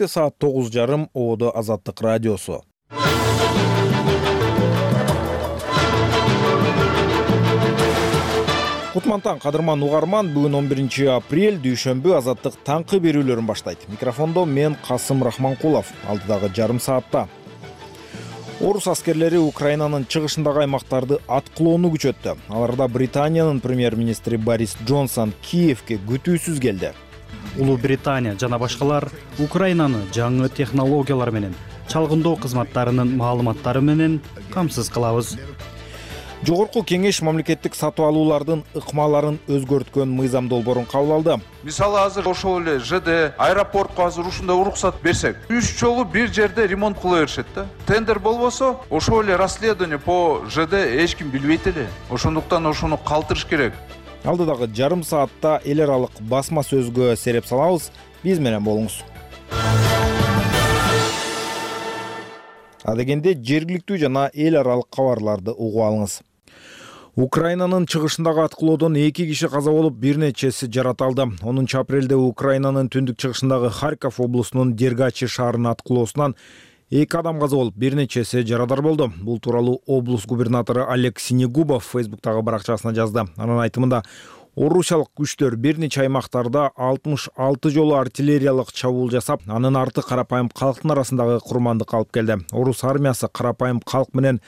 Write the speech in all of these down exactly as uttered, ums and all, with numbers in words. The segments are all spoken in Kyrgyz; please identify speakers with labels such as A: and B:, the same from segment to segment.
A: Эртекте саат тогуз жарым Ободо Азаттык радиосу. Кутмантан кадырман угарман, бүгүн он биринчи апрель дүйшөмбү Азаттык таңкы берүүлөрүн баштайт. Микрофондо мен Касым Рахманкулов. Алдыдагы жарым саатта орус аскерлери Украинанын чыгышындагы аймактарды аткылоону күчөттү. Аларда Британиянын премьер-министри Борис Джонсон Киевке күтүүсүз келди.
B: Улуу Британия жана башкалар Украинаны жаңы технологиялар менен, чалгындоо кызматтарынын маалыматтары менен камсыз кылабыз.
A: Жогорку кеңеш мамлекеттик сатып алуулардын ыкмаларын өзгөрткөн мыйзам долбоорун кабыл алды.
C: Мисалы азыр ошол эле ЖД аэропортко азыр ушундай уруксат берсек, үч жолу бир жерде ремонт кыла беришет да. Тендер болбосо, ошол эле расследование по ЖД эч ким билбейт эле. Ошондуктан ошону калтырыш керек.
A: Алдыдагы жарым саатта эл аралык басма сөзгө сереп салабыз. Биз менен болуңуз. Адегенде жергиликтүү жана эл аралык кабарларды угуп алыңыз. Украинанын чыгышындагы аткылоодон эки киши каза болуп, бир нечеси жараталды. онунчу апрелде Украинанын түндүк чыгышындагы Харьков облусунун Дергачи шаарынын аткылоосунан эки адам каза болуп, бир нечеси жарадар болду. Бул тууралуу облус губернатору Олег Синегубов Фейсбуктагы баракчасына жазды. Анын айтымында, орусиялык күчтөр бир нече аймактарда алтымыш алты жолу артиллериялык чабуул жасап, анын арты карапайым калктын арасындагы курмандыкка алып келди. Орус армиясы карапайым калк менен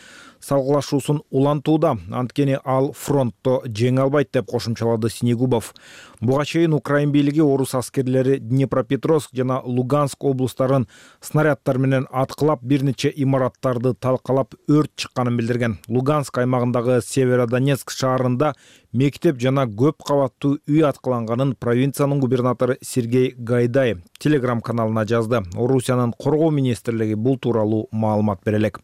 A: салгылашуусун улантууда, анткени ал фронтто жеңе албайт деп кошумчалады Синегубов. Буга чейин Украин бийлиги орус аскерлери Днепропетровск жана Луганск облустарын снаряддар менен аткылап, бир нече имараттарды талкалап, өрт чыкканын билдирген. Луганск аймагындагы Северодонецк шаарында мектеп жана көп кабаттуу үй аткыланганын провинциянын губернатору Сергей Гайдай Телеграм каналына жазды. Орусиянын коргоо министрлиги бул тууралуу маалымат бере элек.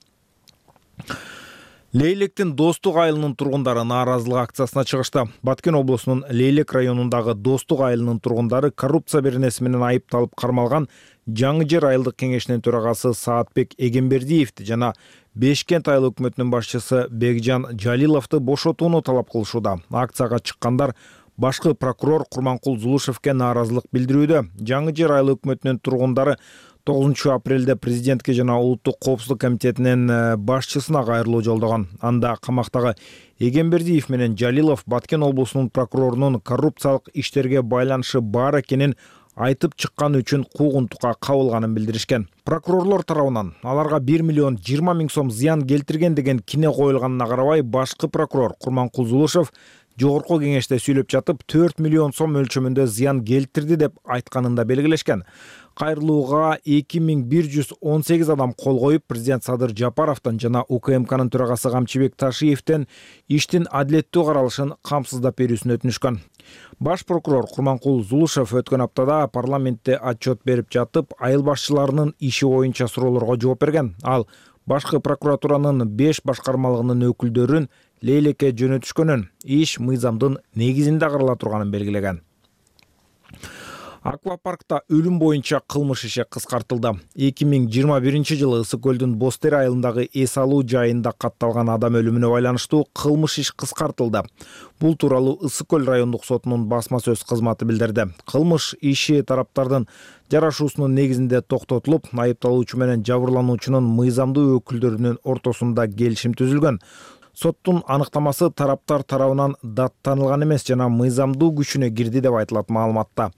A: Лейлектин Достук айылынын тургундары нааразылык акциясына чыгышты. Баткен облусунун Лейлек районундагы Достук айылынын тургундары коррупция беренеси менен айыпталып кармалган Жаңы Жер айылдык кеңешинин төрагасы Саатбек Эгембердиевди жана Бешкент айыл өкмөтүнүн башчысы Бекжан Жалиловду бошотууну талап кылышууда. Акцияга чыккандар башкы прокурор Курманкул Зулушевке нааразылык билдирүүдө. Жаңы Жер айыл өкмөтүнүн тургундары тогузунчу апрелде президентке жана улуттук коопсуздук комитетинин башчысына кайрылуу жолдогон. Анда камактагы Эгембердиев менен Жалилов Баткен облусунун прокурорунун коррупциялык иштерге байланышы бар экенин айтып чыкканы үчүн куугунтукка кабылганын билдиришкен. Прокурорлор тарабынан аларга бир миллион жыйырма миң сом зыян келтирген деген кине коюлганына карабай, башкы прокурор Курманкул Зулушев жогорку кеңеште сүйлөп жатып, төрт миллион сом мөлчөмүндө зыян келтирди деп айтканын да белгилешкен. Кайрылууга эки миң бир жүз он сегиз адам кол коюп, президент Садыр Жапаровдон жана УКМКнын төрагасы Камчыбек Ташиевден иштин адилеттүү каралышын камсыздап берүүсүн өтүнүшкөн. Баш прокурор Курманкул Зулушев өткөн аптада парламентте отчет берип жатып, айыл башчыларынын иши боюнча суроолорго жооп берген. Ал башкы прокуратуранын беш башкармалыгынын өкүлдөрүн Лейлекке жөнөтүшкөнүн, иш мыйзамдын негизинде карала турганын белгилеген. Аквапаркта өлүм боюнча кылмыш иши кыскартылды. эки миң жыйырма биринчи жылы Ысык көлдүн Бостер айылындагы эс алуу жайында катталган адам өлүмүнө байланыштуу кылмыш иш кыскартылды. Бул тууралуу Ысык көл райондук сотунун басма сөз кызматы билдирди. Кылмыш иши тараптардын жарашуусунун негизинде токтотулуп, айыпталуучу менен жабырлануучунун мыйзамдуу өкүлдөрүнүн ортосунда келишим түзүлгөн. Соттун аныктамасы тараптар тарабынан даттанылган эмес жана мыйзамдуу күчүнө кирди деп айтылат маалыматта.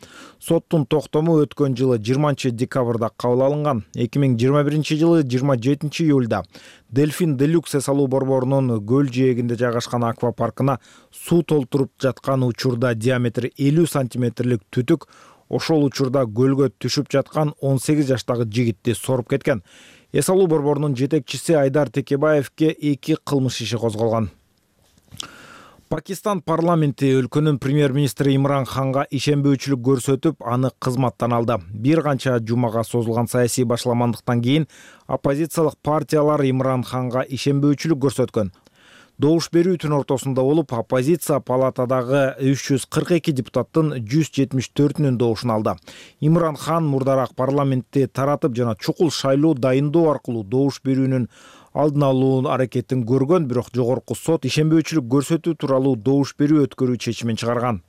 A: Соттун токтому өткөн жылы жыйырманчы декабрда кабыл алынган. эки миң жыйырма биринчи жылы жыйырма жетинчи июлда Дельфин Делюкс эс алуу борборунун көл жээгинде жайгашкан аквапаркына суу толтуруп жаткан учурда диаметри элүү сантиметрлик түтүк ошол учурда көлгө түшүп жаткан он сегиз жаштагы жигитти соруп кеткен. Эс алуу борборунун жетекчиси Айдар Текебаевке эки кылмыш иши козголгон. Пакистан парламенти өлкөнүн премьер-министри Имран Ханга ишенбөөчүлүк көрсөтүп, аны кызматтан алды. Бир канча жумага созулган саясий башламандыктан кийин оппозициялык партиялар Имран Ханга ишенбөөчүлүк көрсөткөн. Добуш берүүтүн ортосунда болуп, оппозиция палатадагы үч жүз кырк эки депутаттын жүз жетимиш төртүнүн добушун алды. Имран Хан мурдараак парламентти таратып жана чукул шайлоо дайындоо аркылуу добуш берүүнүн алдын алуу аракетин көргөн, бирок жогорку сот ишенбөөчүлүк көрсөтүү тууралуу добуш берүү өткөрүү чечимин чыгарган.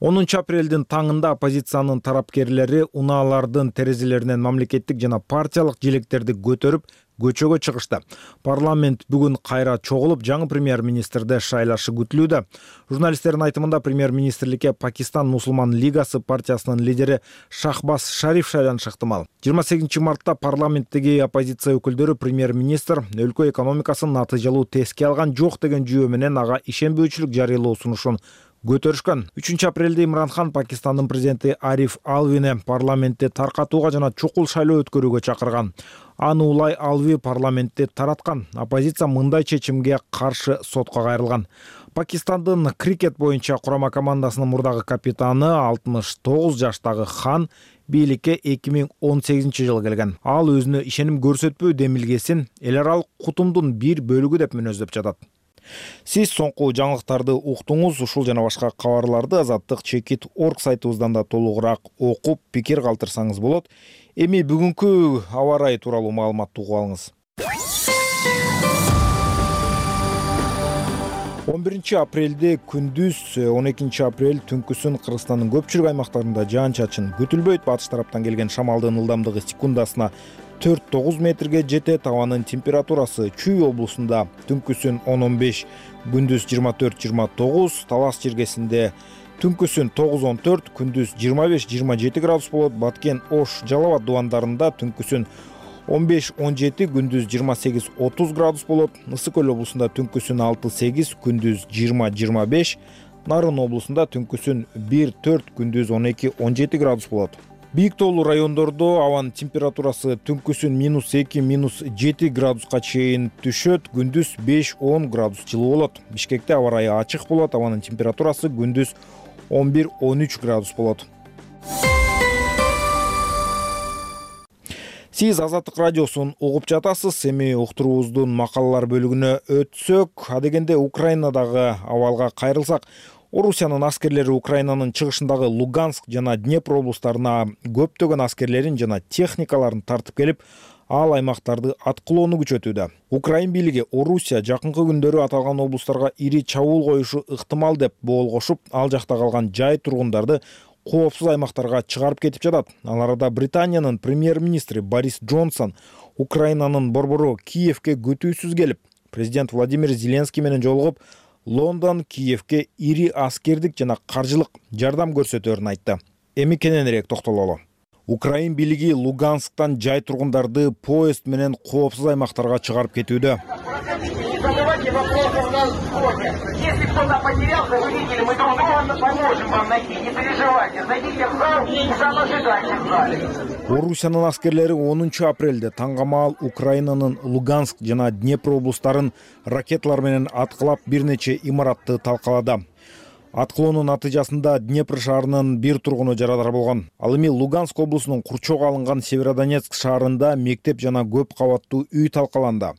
A: онунчу апрелдин таңында оппозициянын тарапкерлери унаалардын терезелеринен мамлекеттик жана партиялык желектерди көтөрүп көчөгө чыгышты. Парламент бүгүн кайра чогулуп, жаңы премьер-министрди шайлашы күтүлүүдө. Журналисттердин айтымында премьер-министрликке Пакистан Мусулман лигасы партиясынын лидери Шахбаз Шариф шайланышы ыктымал. жыйырма сегизинчи мартта парламенттеги оппозиция өкүлдөрү премьер-министр өлкө экономикасын натыйжалуу теске алган жок деген жүйө менен ага ишенбөөчүлүк жарыялоо сунушун көтөрүшкөн. үчүнчү апрелде Имран Хан Пакистандын президенти Ариф Алвини парламентти таркатууга жана чукул шайлоо өткөрүүгө чакырган. Аны улай Алви парламентти тараткан. Оппозиция мындай чечимге каршы сотко кайрылган. Пакистандын крикет боюнча курама командасынын мурдагы капитаны алтымыш тогуз жаштагы Хан бийликке эки миң он сегизинчи жылы келген. Ал өзүнө ишеним көрсөтпөө демилгесин эл аралык кутумдун бир бөлүгү деп мүнөздөп жатат. Сиз соңку жаңылыктарды уктуңуз. Ушул жана башка кабарларды азаттык чекит точка орг сайтыбыздан да толугураак окуп, пикир калтырсаңыз болот. Эми бүгүнкү аба ырайы тууралуу маалыматты угуп алыңыз. он биринчи апрелде күндүз, он экинчи апрель түнкүсүн Кыргызстандын көпчүлүк аймактарында жаан-чачын күтүлбөйт. Батыш тараптан келген шамалдын ылдамдыгы секундасына төрт тогуз метрге жетет. Абанын температурасы Чүй облусунда түнкүсүн он он беш, күндүз жыйырма төрт жыйырма тогуз, Талас жергесинде түнкүсүн тогуз он төрт, күндүз жыйырма беш жыйырма жети градус болот. Баткен, Ош, Жалал Абад дубандарында түнкүсүн он беш он жети, күндүз жыйырма сегиз отуз градус болот. Ысык көл облусунда түнкүсүн алты сегиз, күндүз жыйырма жыйырма беш, Нарын облусунда түнкүсүн бир төрт, күндүз он эки он жети градус болот. Бийик тоолуу райондордо абанын температурасы түнкүсүн минус эки минус жети градуска чейин түшөт, күндүз беш он градус жылуу болот. Бишкекте аба ырайы ачык болот, абанын температурасы күндүз он бир он үч градус болот. Сиз Азаттык радиосун угуп жатасыз. Эми уктуруубуздун макалалар бөлүгүнө өтсөк, адегенде Украинадагы абалга кайрылсак, Орусиянын аскерлери Украинанын чыгышындагы Луганск жана Днепр облустарына көптөгөн аскерлерин жана техникаларын тартып келип, ал аймактарды аткылоону күчөтүүдө. Украин бийлиги Орусия жакынкы күндөрү аталган облустарга ири чабуул коюшу ыктымал деп боолгошуп, ал жакта калган жай тургундарды коопсуз аймактарга чыгарып кетип жатат. Ал арада Британиянын премьер-министри Борис Джонсон Украинанын борбору Киевке күтүүсүз келип, президент Владимир Зеленский менен жолугуп, Лондон Киевке ири аскердик жана каржылык жардам көрсөтөөрүн айтты. Эми кененирээк токтололу. Украин бийлиги Лугансктан жай тургундарды поезд менен коопсуз аймактарга чыгарып кетүүдө.
D: Задавайте вопросы у нас в блоге. Если кто-то потерялся, вы видели, мы друг друга поможем вам найти. Не переживайте, зайдите в зал и сам ожидайте в зале.
A: Орусиянын аскерлери онунчу апрелде таңгамаал Украинанын Луганск жана Днепр облустарын ракеталар менен аткылап бир нече имаратты талкалады. Аткылоонун натыйжасында Днепр шаарынын бир тургуну жарадар болгон. Ал эми Луганск облусунун курчоого алынган Северодонецк шаарында мектеп жана көп кабаттуу үй талкаланды.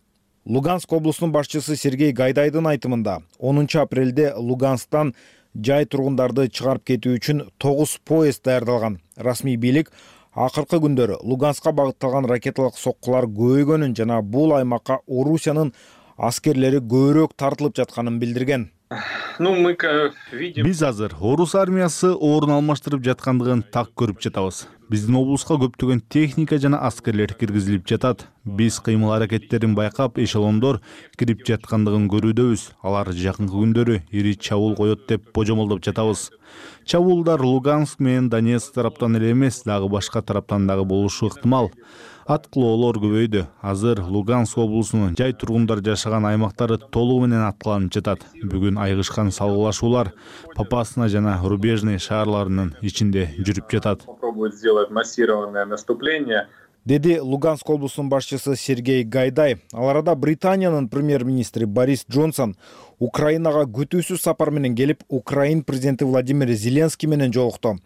A: Луганск облусунун башчысы Сергей Гайдайдын айтымында, онунчу апрелде Лугансктан жай тургундарды чыгарып кетүү үчүн тогуз поезд даярдалган. Расмий бийлик акыркы күндөрү Луганскка багытталган ракеталык соккулар көбөйгөнүн жана бул аймакка Орусиянын аскерлери көбүрөөк тартылып жатканын билдирген.
E: Биз азыр орус армиясы орун алмаштырып жаткандыгын так көрүп жатабыз. Биздин облуска көптөгөн техника жана аскерлер киргизилип жатат. Биз кыймыл аракеттерин байкап, эшелондор кирип жаткандыгын көрүүдөбүз. Алар жакынкы күндөрү ири чабуул коет деп божомолдоп жатабыз. Чабуулдар Луганск менен Донецк тараптан эле эмес, дагы башка тараптан дагы болушу ыктымал. Аткылоолор көбөйдү. Азыр Луганск облусунун жай тургундар жашаган аймактары толугу менен аткыланып жатат. Бүгүн айгышкан салгылашуулар Попасна жана Рубежный шаарларынын ичинде жүрүп жатат.
D: Массированное наступление.
A: Деди Луганск облусунун башчысы Сергей Гайдай. Ал арада Британиянын премьер-министри Борис Джонсон Украинага күтүүсүз сапар менен келип, Украин президенти Владимир Зеленский менен жолукту.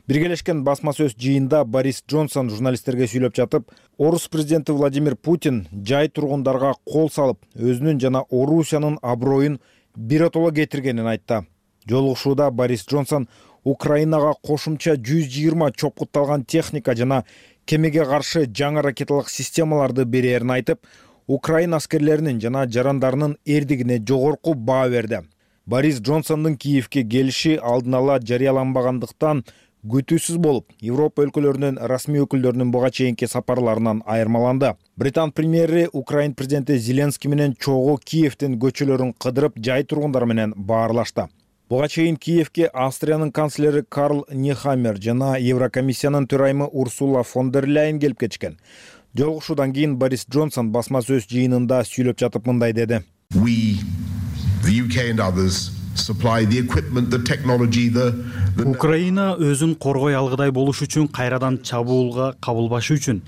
A: Биргелешкен басма сөз жыйында Борис Джонсон журналисттерге сүйлөп жатып, Орус президенти Владимир Путин жай тургундарга кол салып, өзүнүн жана Орусиянын аброюн биротоло кетиргенин айтты. Жолугушууда Борис Джонсон Украинага кошумча жүз жыйырма чопкутталган техника жана кемеге каршы жаңы ракеталык системаларды берерин айтып, Украин аскерлеринин жана жарандарынын эрдигине жогорку баа берди. Борис Джонсондун Киевке келиши алдын ала жарыяланбагандыктан күтүүсүз болуп, Европа өлкөлөрүнүн расмий өкүлдөрүнүн буга чейинки сапарларынан айырмаланды. Британ премьери Украин президенти Зеленский менен чогуу Киевдин көчөлөрүн кыдырып, жай тургундар менен баарлашты. Буга чейин Киевке Австриянын канцлери Карл Нехаммер жана Еврокомиссиянын төрайымы Урсула фон дер Ляйен келип кетишкен. Жолугушуудан кийин Борис Джонсон басма сөз жыйынында сүйлөп жатып мындай деди.
F: We, the U K and others, supply the equipment, the technology, the
B: Украина өзүн коргой алгыдай болуш үчүн, кайрадан чабуулга кабылбашы үчүн,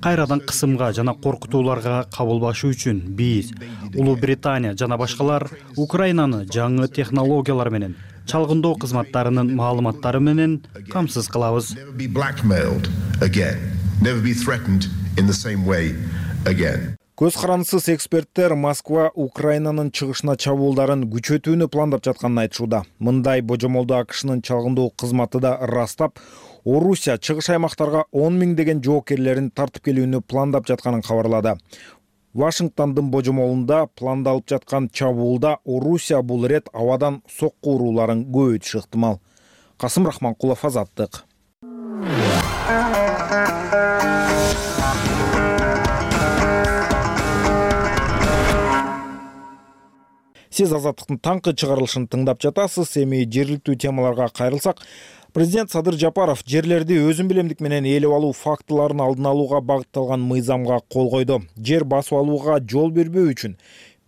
B: кайрадан кысымга жана коркутууларга кабылбашы үчүн биз, Улуу Британия жана башкалар Украинаны жаңы технологиялар менен, чалгындоо кызматтарынын маалыматтары менен камсыз кылабыз.
F: never be blackmailed again, never be threatened in the same way again.
A: Көз карандысыз эксперттер Москва Украинанын чыгышына чабуулдарын күчөтүүнү пландап жатканын айтышууда. Мындай божомолду АКШнын чалгындоо кызматы да ырастап, Орусия чыгыш аймактарга он миңдеген жоокерлерин тартып келүүнү пландап жатканын кабарлады. Вашингтондун божомолунда пландалып жаткан чабуулда Орусия бул ирет абадан сокку урууларын көбөйтүшү ыктымал. Касым Рахманкулов, Азаттык. Сиз Азаттыктын таңкы чыгарылышын тыңдап жатасыз. Эми жергиликтүү темаларга кайрылсак, президент Садыр Жапаров жерлерди өзүн билемдик менен ээлеп алуу фактыларын алдын алууга багытталган мыйзамга кол койду. Жер басып алууга жол бербөө үчүн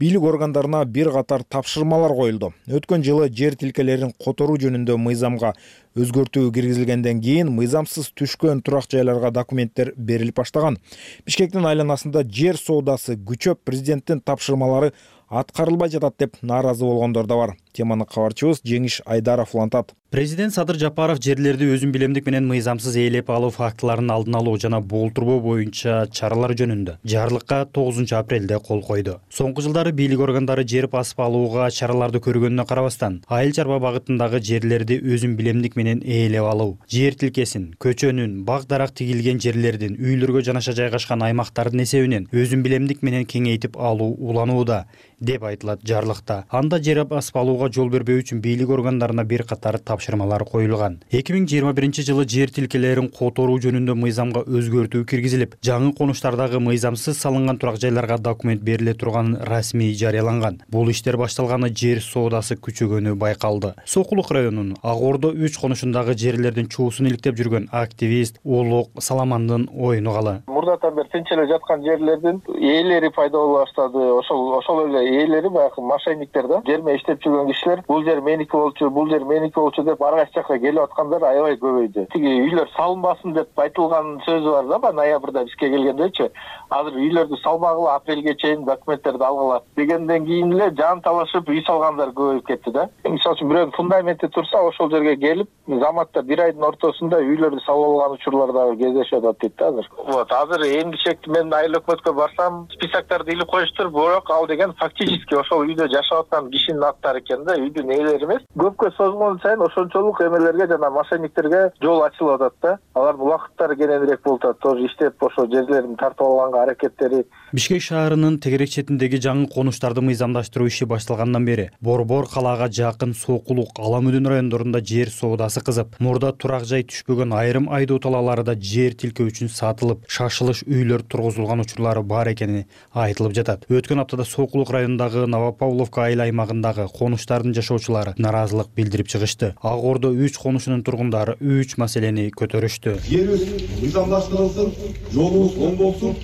A: бийлик органдарына бир катар тапшырмалар коюлду. Өткөн жылы жер тилкелерин которуу жөнүндө мыйзамга өзгөртүү киргизилгенден кийин мыйзамсыз түшкөн турак жайларга документтер берилип баштаган. Бишкектин айланасында жер соодасы күчөп, президенттин тапшырмалары аткарылбай жатат деп нааразы болгондор да бар. Теманы кабарчыбыз Жеңиш Айдаров улантат.
B: Президент Садыр Жапаров жерлерди өзүн билемдик менен мыйзамсыз ээлеп алуу фактыларын алдын алуу жана болтурбоо боюнча чаралар жөнүндө жарлыкка тогузунчу апрелде кол койду. Соңку жылдары бийлик органдары жер басып алууга чараларды көргөнүнө карабастан, айыл чарба багытындагы жерлерди өзүн билемдик менен ээлеп алуу, жер тилкесин, көчөнүн, бак дарак тигилген жерлердин, үйлөргө жанаша жайгашкан аймактардын эсебинен өзүн билемдик менен кеңейтип алуу уланууда деп айтылат жарлыкта. Анда жер басып алууга жол бербөө үчүн бийлик органдарына бир катар тапшырмалар коюлган. эки миң жыйырма биринчи жылы жер тилкелерин которуу жөнүндө мыйзамга өзгөртүү киргизилип, жаңы конуштардагы мыйзамсыз салынган турак жайларга документ бериле турганын расмий жарыяланган. Бул иштер башталганы жер соодасы күчөгөнү байкалды. Сокулук районунун Ак Ордо үч конушундагы жерлердин чуусун иликтеп жүргөн активист Улук Саламандын оюну калы.
G: Мурдатан бери тынчылы жаткан жерлердин ээлери пайда боло баштады. Ошол ошол эле ээлери баягы мошенниктер да, жерме иштеп жүргөн кишилер бул жер меники болчу, бул жер меники болчу деп ар кайсы жакка келип аткандар аябай көбөйдү. Тиги үйлөр салынбасын деп айтылган сөзү бар да, баягы ноябрда бизге келгендечи. Азыр үйлөрдү салмагыла, апрелге чейин документтерди алгыла дегенден кийин эле жан талашып үй салгандар көбөйүп кетти да. Мисалы үчүн бирөөнүн фундаменти турса, ошол жерге келип, заматта бир айдын ортосунда үйлөрдү салып алган учурлар дагы кездешип атат дейт да азыр. Вот, азыр эмгичекти мен айыл өкмөткө барсам, списоктарды илип коюштур, бирок ал деген фактически ошол үйдө жашап аткан кишинин аттары экен да, үйдүн ээлери эмес. Көпкө созгон сайын ошончолук эмелерге жана мошенниктерге жол ачылып атат да. Алардын убакыттары кененирээк болуп атат. Тоже иштеп ошо жерлерин тартып алганга аракеттери.
B: Бишкек шаарынын тегерек четиндеги жаңы конуштарды мыйзамдаштыруу иши башталгандан бери Борбор калаага жакын Сокулук, Аламүдүн райондорунда жер соодасы кызып, мурда турак жай түшпөгөн айрым айдоо талааларда жер тилке үчүн сатылып, шашылыш үйлөр тургузулган учурлары бар экени айтылып жатат. Өткөн аптада Сокулук районундагы Новопавловка айыл аймагындагы конуштардын жашоочулары наразылык билдирип чыгышты. Ак Ордо үч конушунун тургундары үч маселени көтөрүштү.
H: Жерибиз мыйзамдаштырылсын, жолубуз оң болсун.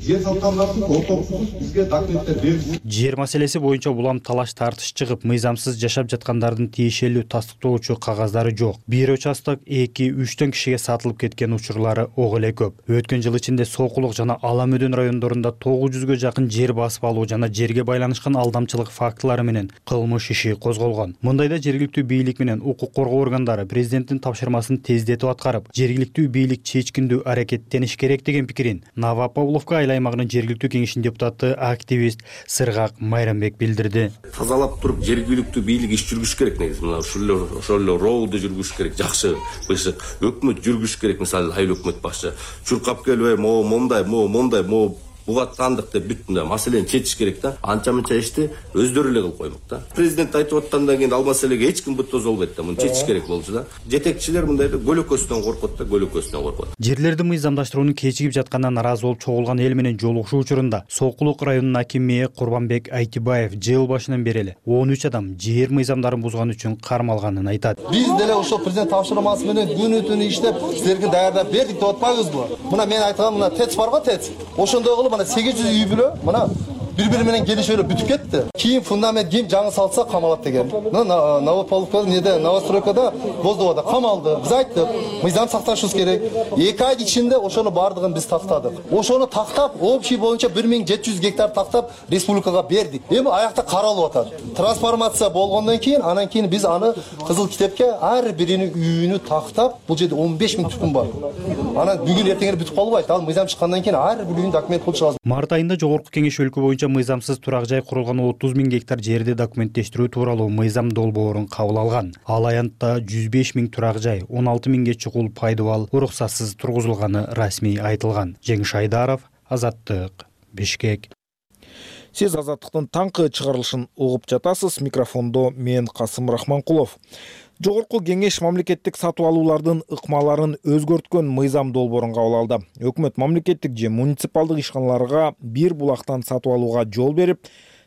H: Жер салткандардын ортосунсуз бизге документтер берилсин.
B: Жер маселеси боюнча улам талаш тартыш чыгып, мыйзамсыз жашап жаткандардын тиешелүү тастыктоочу кагаздары жок. Бир участок эки үчтөн кишиге сатылып кеткен учурлары ок эле көп. Өткөн жыл ичинде Сокулук жана Аламүдүн райондорунда тогуз жүзгө жакын жер басып алуу жана жерге байланышкан алдамчылык фактылары менен кылмыш иши козголгон. Мындайда жергиликтүү бийлик менен укук коргоо органдары президенттин тапшырмасын тездетип аткарып, жергиликтүү бийлик чечкиндүү аракеттениш керек деген пикирин Новопавловка айыл аймагынын жергиликтүү кеңешинин депутаты активист Сыргак Майрамбек билдирди.
I: Тазалап туруп жергиликтүү бийлик иш жүргүш керек негизи. Мына ушул ошол эле роуду жүргүш керек. Жакшы бышык өкмөт жүргүш керек. Мисалы айыл өкмөт башчы чуркап келбей, мо мондай, мо мондай, мо буга сандык деп бүт мына маселени чечиш керек да. Анча мынча ишти өздөрү эле кылып коймок да. Президент айтып аткандан кийин ал маселеге эч ким бутоз болбойт да. Муну чечиш керек болчу да. Жетекчилер мындай көлөкөсүнөн коркот да, көлөкөсүнөн коркот.
B: Жерлерди мыйзамдаштырууну кечигип жаткандан наразы болуп чогулган эл менен жолугушуу учурунда Сокулук районунун акими Курбанбек Айтибаев жыл башынан бери эле он үч адам жер мыйзамдарын бузган үчүн кармалганын айтат.
J: Биз деле ошол президент тапшырмасы менен күнү түнү иштеп силерге даярдап бердик деп атпайбызбы? Мына мен айткан мына ТЭЦ барбы ТЭЦ? Ошондой кылып мына сегиз жүз үй бүлө мына бири-бири менен келишип эле бүтүп кетти. Кийин фундамент ким жаңы салса камалат деген. Мына Новополковка неде новостройкада Боздовада камалды. Биз айттык, мыйзам сакташыбыз керек. эки ай ичинде ошону бардыгын биз тактадык. Ошону тактап, общий боюнча бир миң жети жүз гектар тактап республикага бердик. Эми аякта каралып атат. Трансформация болгондон кийин, анан кийин биз аны Кызыл китепке ар биринин үйүнү тактап, бул жерде он беш миң түкүм бар. Анан бүгүн эртең бүтүп калбайт. Ал мыйзам чыккандан кийин ар бир үйүн документ кылыш лазым.
B: Март айында Жогорку Кеңеш өлкө боюнча мыйзамсыз турак жай курулган отуз миң гектар жерди документтештирүү тууралуу мыйзам долбоорун кабыл алган. Ал аянтта жүз беш миң турак жай, он алты миңге чукул пайдубал уруксатсыз тургузулганы расмий айтылган. Жеңиш Айдаров, Азаттык, Бишкек.
A: Сиз Азаттыктын таңкы чыгарылышын угуп жатасыз. Микрофондо мен Касым Рахманкулов. Жогорку Кеңеш мамлекеттик сатып алуулардын ыкмаларын өзгөрткөн мыйзам долбоорун кабыл алды. Өкмөт мамлекеттик же муниципалдык ишканаларга бир булактан сатып алууга жол берип,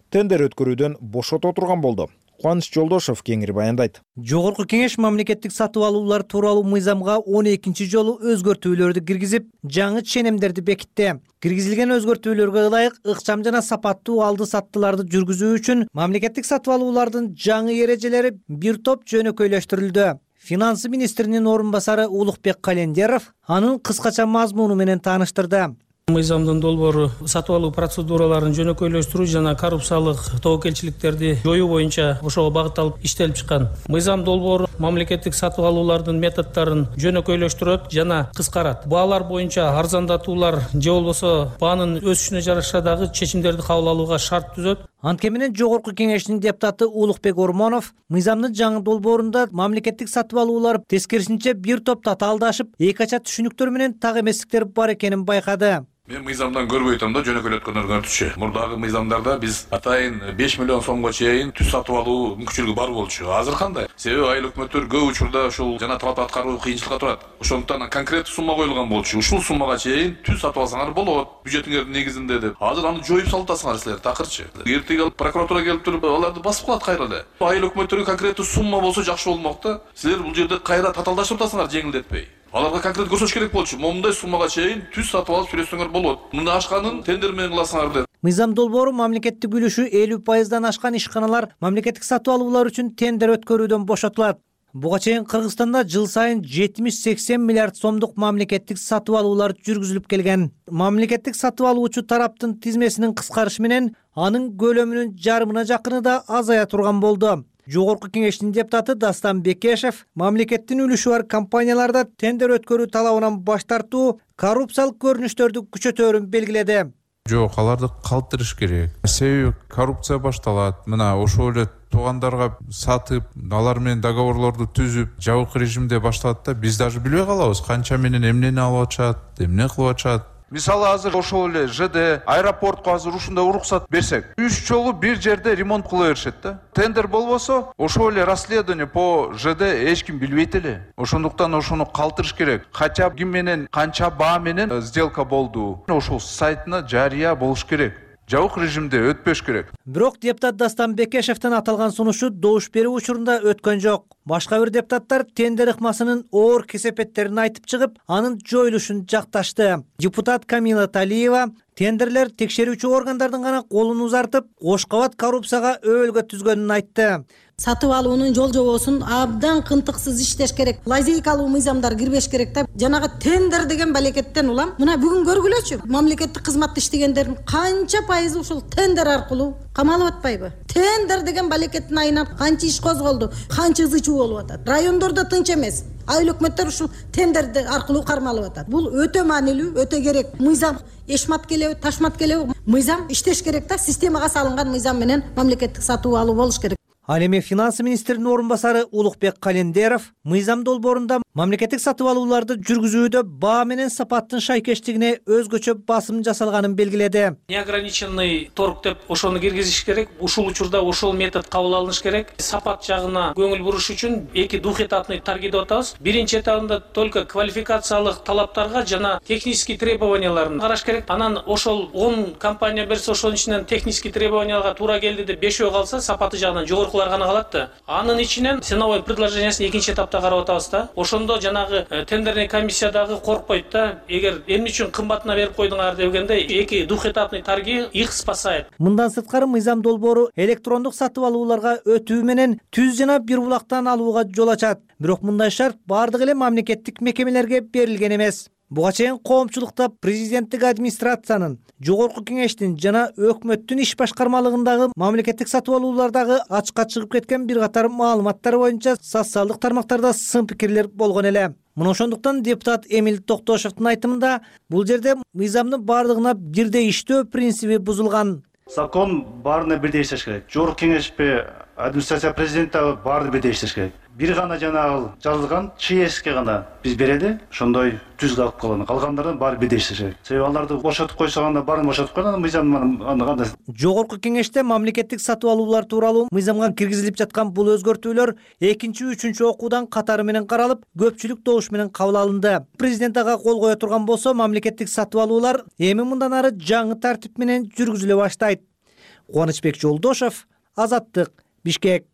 A: тендер өткөрүүдөн бошото турган болду. Кубаныч Жолдошов кеңири баяндайт.
K: Жогорку Кеңеш мамлекеттик сатып алуулар тууралуу мыйзамга он экинчи жолу өзгөртүүлөрдү киргизип, жаңы ченемдерди бекитти. Киргизилген өзгөртүүлөргө ылайык ыкчам жана сапаттуу алды-саттыларды жүргүзүү үчүн мамлекеттик сатып алуулардын жаңы эрежелери бир топ жөнөкөйлөштүрүлдү. Финансы министринин орун басары Улукбек Календеров анын кыскача мазмуну менен тааныштырды.
L: Мыйзамдын долбоору сатып алуу процедураларын жөнөкөйлөштүрүү жана коррупциялык тобокелчиликтерди жоюу боюнча ошого багытталып иштелип чыккан. Мыйзам долбоору мамлекеттик сатып алуулардын методдорун жөнөкөйлөштүрөт жана кыскарат. Баалар боюнча арзандатуулар же болбосо баанын өсүшүнө жараша дагы чечимдерди кабыл алууга шарт түзөт.
K: Анткени менен Жогорку Кеңештин депутаты Улукбек Ормонов мыйзамдын жаңы долбоорунда мамлекеттик сатып алуулар тескерисинче бир топ татаалдашып, эки ача түшүнүктөр менен так эместиктер бар экенин байкады.
M: Мен мыйзамдан көрбөй атам да жөнөкөйлөткөндөрдүн өтүшү. Мурдагы мыйзамдарда биз атайын беш миллион сомго чейин түз сатып алуу мүмкүнчүлүгү бар болчу. Азыр кандай? Себеби айыл өкмөттөр көп учурда ушул жана талап аткаруу кыйынчылыкка турат. Ошондуктан конкреттүү сумма коюлган болчу. Ушул суммага чейин түз сатып алсаңар болот, бюджетиңердин негизинде деп. Азыр аны жоюп салып атасыңар силер такырчы. Эртеге алып прокуратура келип туруп аларды басып калат кайра эле. Айыл өкмөттөргө конкреттүү сумма болсо жакшы болмок да. Силер бул жерде кайра татаалдашып атасыңар жеңилдетпей. Аларга конкрет көрсөтүш керек болчу. Момундай суммага чейин түз сатып алып сүрөсөңөр болот. Мында ашканын тендер менен кыласыңар деп.
K: Мыйзам долбоору мамлекеттик үлүшү элүү пайыздан ашкан ишканалар мамлекеттик сатып алуулар үчүн тендер өткөрүүдөн бошотулат. Буга чейин Кыргызстанда жыл сайын жетимиш сексен миллиард сомдук мамлекеттик сатып алуулар жүргүзүлүп келген. Мамлекеттик сатып алуучу тараптын тизмесинин кыскарышы менен анын көлөмүнүн жарымына жакыны да азая турган болду. Жогорку Кеңештин депутаты Дастан Бекешев мамлекеттин үлүшү бар компанияларда тендер өткөрүү талабынан баш тартуу коррупциялык көрүнүштөрдү күчөтөөрүн белгиледи.
N: Жок, аларды калтырыш керек. Себеби коррупция башталат. Мына ошол эле туугандарга сатып, алар менен договорлорду түзүп, жабык режимде башталат да биз даже билбей калабыз канча менен эмнени алып атышат, эмне кылып атышат.
C: Мисалы азыр ошол эле ЖД аэропортко азыр ушундай уруксат берсек, үч жолу бир жерде ремонт кыла беришет да. Тендер болбосо, ошол эле расследование по ЖД эч ким билбейт эле. Ошондуктан ошону калтырыш керек. Кача ким менен, канча баа менен сделка болду. Ошол сайтына жарыя болуш керек. Жабык режимде өтпөш керек.
K: Бирок депутат Дастан Бекешевдин аталган сунушу добуш берүү учурунда өткөн жок. Башка бир депутаттар тендер ыкмасынын оор кесепеттерин айтып чыгып, анын жоюлушун жакташты. Депутат Камила Талиева тендерлер текшерүүчү органдардын гана колун узартып, кош кабат коррупцияга өбөлгө түзгөнүн айтты.
O: Сатып алуунун жол жобосун абдан кынтыксыз иштеш керек. Лазейкалуу мыйзамдар кирбеш керек да. Жанагы тендер деген балекеттен улам. Мына бүгүн көргүлөчү. Мамлекеттик кызматта иштегендердин канча пайызы ушул тендер аркылуу камалып атпайбы? Тендер деген балекеттин айынан канча иш козголду, канча ызы чуу болуп атат. Райондордо тынч эмес. Айыл өкмөттөр ушул тендерди аркылуу кармалып атат. Бул өтө маанилүү, өтө керек. Мыйзам эшмат келеби, ташмат келеби, мыйзам иштеш керек да. Системага салынган мыйзам менен мамлекеттик сатып алуу болуш керек.
K: Ал эми финансы министринин орун басары Улукбек Календеров мыйзам долбоорунда мамлекеттик сатып алууларды жүргүзүүдө баа менен сапаттын шайкештигине өзгөчө басым жасалганын белгиледи.
L: Неограниченный торг деп ошону киргизиш керек. Ушул учурда ошол метод кабыл алыныш керек. Сапат жагына көңүл буруш үчүн эки двухэтапный торги деп атабыз. Биринчи этабында только квалификациялык талаптарга жана технический требованияларын караш керек. Анан ошол он компания берсе, ошонун ичинен технический требованияга туура келди деп бешөө калса, сапаты жагынан жогоркулар гана калат да. Анын ичинен ценовой предложениясын экинчи этапта карап атабыз да. Ошондо жанагы тендерный комиссиядагы коркпойт да. Эгер эмне үчүн кымбатына берип койдуңар дегенде эки двухэтапный торги их спасает.
K: Мындан сырткары мыйзам долбоору электрондук сатып алууларга өтүү менен түз жана бир булактан алууга жол ачат. Бирок мындай шарт бардык эле мамлекеттик мекемелерге берилген эмес. Буга чейин коомчулукта президенттик администрациянын, жогорку кеңештин жана өкмөттүн иш башкармалыгындагы мамлекеттик сатып алуулардагы ачыкка чыгып кеткен бир катар маалыматтар боюнча социалдык тармактарда сын пикирлер болгон эле. Мына ошондуктан депутат Эмил Токтошевдун айтымында бул жерде мыйзамдын бардыгына бирдей иштөө принциби бузулган.
P: Закон баарына бирдей иштеш керек. Жогорку кеңешпи, администрация президента баары бирдей иштеш керек. Бир гана жанагы жазылган ЧСке гана биз берели, ошондой түз калып калган. Калгандардан баары бирдей иштеш керек. Себеби аларды бошотуп койсоганда баарын бошотуп койгон, мыйзам аны кандай.
K: Жогорку кеңеште мамлекеттик сатып алуулар тууралуу мыйзамга киргизилип жаткан бул өзгөртүүлөр экинчи, үчүнчү окуудан катары менен каралып, көпчүлүк добуш менен кабыл алынды. Президент ага кол кое турган болсо, мамлекеттик сатып алуулар эми мындан ары жаңы тартип менен жүргүзүлө баштайт. Кубанычбек Жолдошев, Азаттык, Бишкек.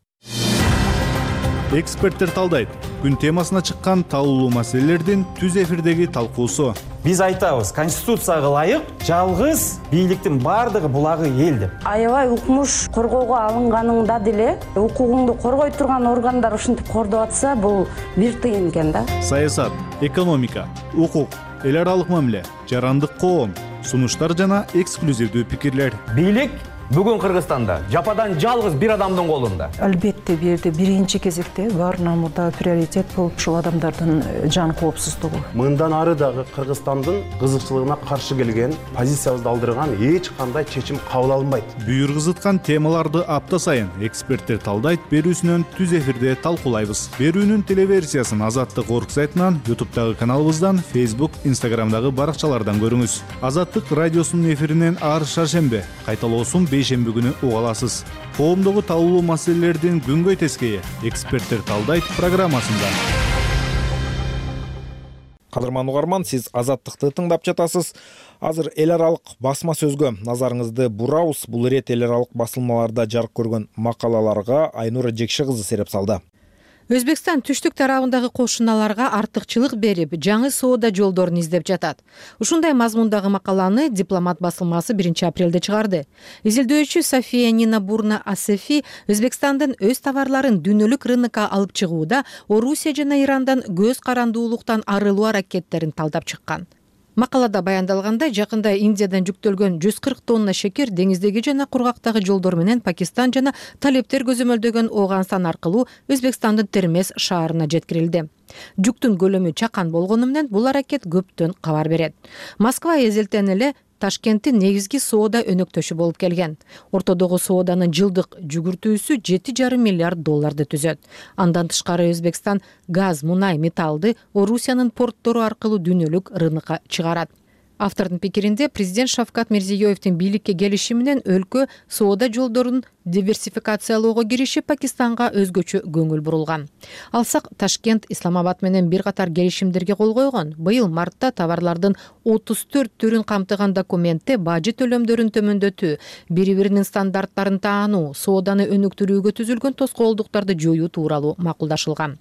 E: Эксперттер талдайт. Күн темасына чыккан талуулуу маселелердин түз эфирдеги талкуусу.
Q: Биз айтабыз, конституцияга ылайык жалгыз бийликтин бардыгы булагы эл деп.
R: Аябай укмуш коргоого алынганыңда деле укугуңду коргой турган органдар ушинтип кордоп атса, бул бир тыйын экен да.
E: Саясат, экономика, укук, эл аралык мамиле, жарандык коом, сунуштар жана эксклюзивдүү пикирлер.
Q: Бийлик бүгүн Кыргызстанда жападан жалгыз бир адамдын колунда.
S: Албетте бул жерде биринчи кезекте баарынан мурда приоритет бул ушул адамдардын жан коопсуздугу.
T: Мындан ары дагы Кыргызстандын кызыкчылыгына каршы келген, позициябызды алдырган эч кандай чечим кабыл алынбайт.
E: Бүйүр кызыткан темаларды апта сайын эксперттер талдайт берүүсүнөн түз эфирде талкуулайбыз. Берүүнүн телеверсиясын Азаттык орг сайтынан, ютубтагы каналыбыздан, Facebook, Instagramдагы баракчалардан көрүңүз. Азаттык радиосунун эфиринен ар шаршембе, кайталоосун бейшемби күнү уга аласыз. Коомдогу талуулуу маселелердин күнгөй тескейи эксперттер талдайт программасында.
A: Кадырман угарман, сиз Азаттыкты тыңдап жатасыз. Азыр эл аралык басма сөзгө назарыңызды бурабыз. Бул ирет эл аралык басылмаларда жарык көргөн макалаларга Айнура Жекши кызы сереп салды.
U: Өзбекстан түштүк тарабындагы кошуналарга артыкчылык берип, жаңы соода жолдорун издеп жатат. Ушундай мазмундагы макаланы Дипломат басылмасы биринчи апрелде чыгарды. Изилдөөчү София Нина Бурна Асефи Өзбекстандын өз товарларын дүйнөлүк рынокко алып чыгууда Орусия жана Ирандан көз карандуулуктан арылуу аракеттерин талдап чыккан. Макалада баяндалгандай, жакында Индиядан жүктөлгөн жүз кырк тонна шекер деңиздеги жана кургактагы жолдор менен Пакистан жана талептер көзөмөлдөгөн Ооганстан аркылуу Өзбекстандын Термез шаарына жеткирилди. Жүктүн көлөмү чакан болгону менен бул аракет көптөн кабар берет. Москва эзелтен эле Ташкенттин негизги соода өнөктөшү болуп келген. Ортодогу сооданын жылдык жүгүртүүсү жети жарым миллиард долларды түзөт. Андан тышкары Өзбекстан газ, мунай, металлды Орусиянын порттору аркылуу дүйнөлүк рынокко чыгарат. Автордун пикиринде, президент Шавкат Мирзиёевдин бийликке келиши менен өлкө соода жолдорун диверсификациялоого киришип, Пакистанга өзгөчө көңүл бурулган. Алсак, Ташкент Исламабад менен бир катар келишимдерге кол койгон. Быйыл мартта товарлардын отуз төрт түрүн камтыган документте бажы төлөмдөрүн төмөндөтүү, бири-биринин стандарттарын таануу, сооданы өнүктүрүүгө түзүлгөн тоскоолдуктарды жоюу тууралуу макулдашылган.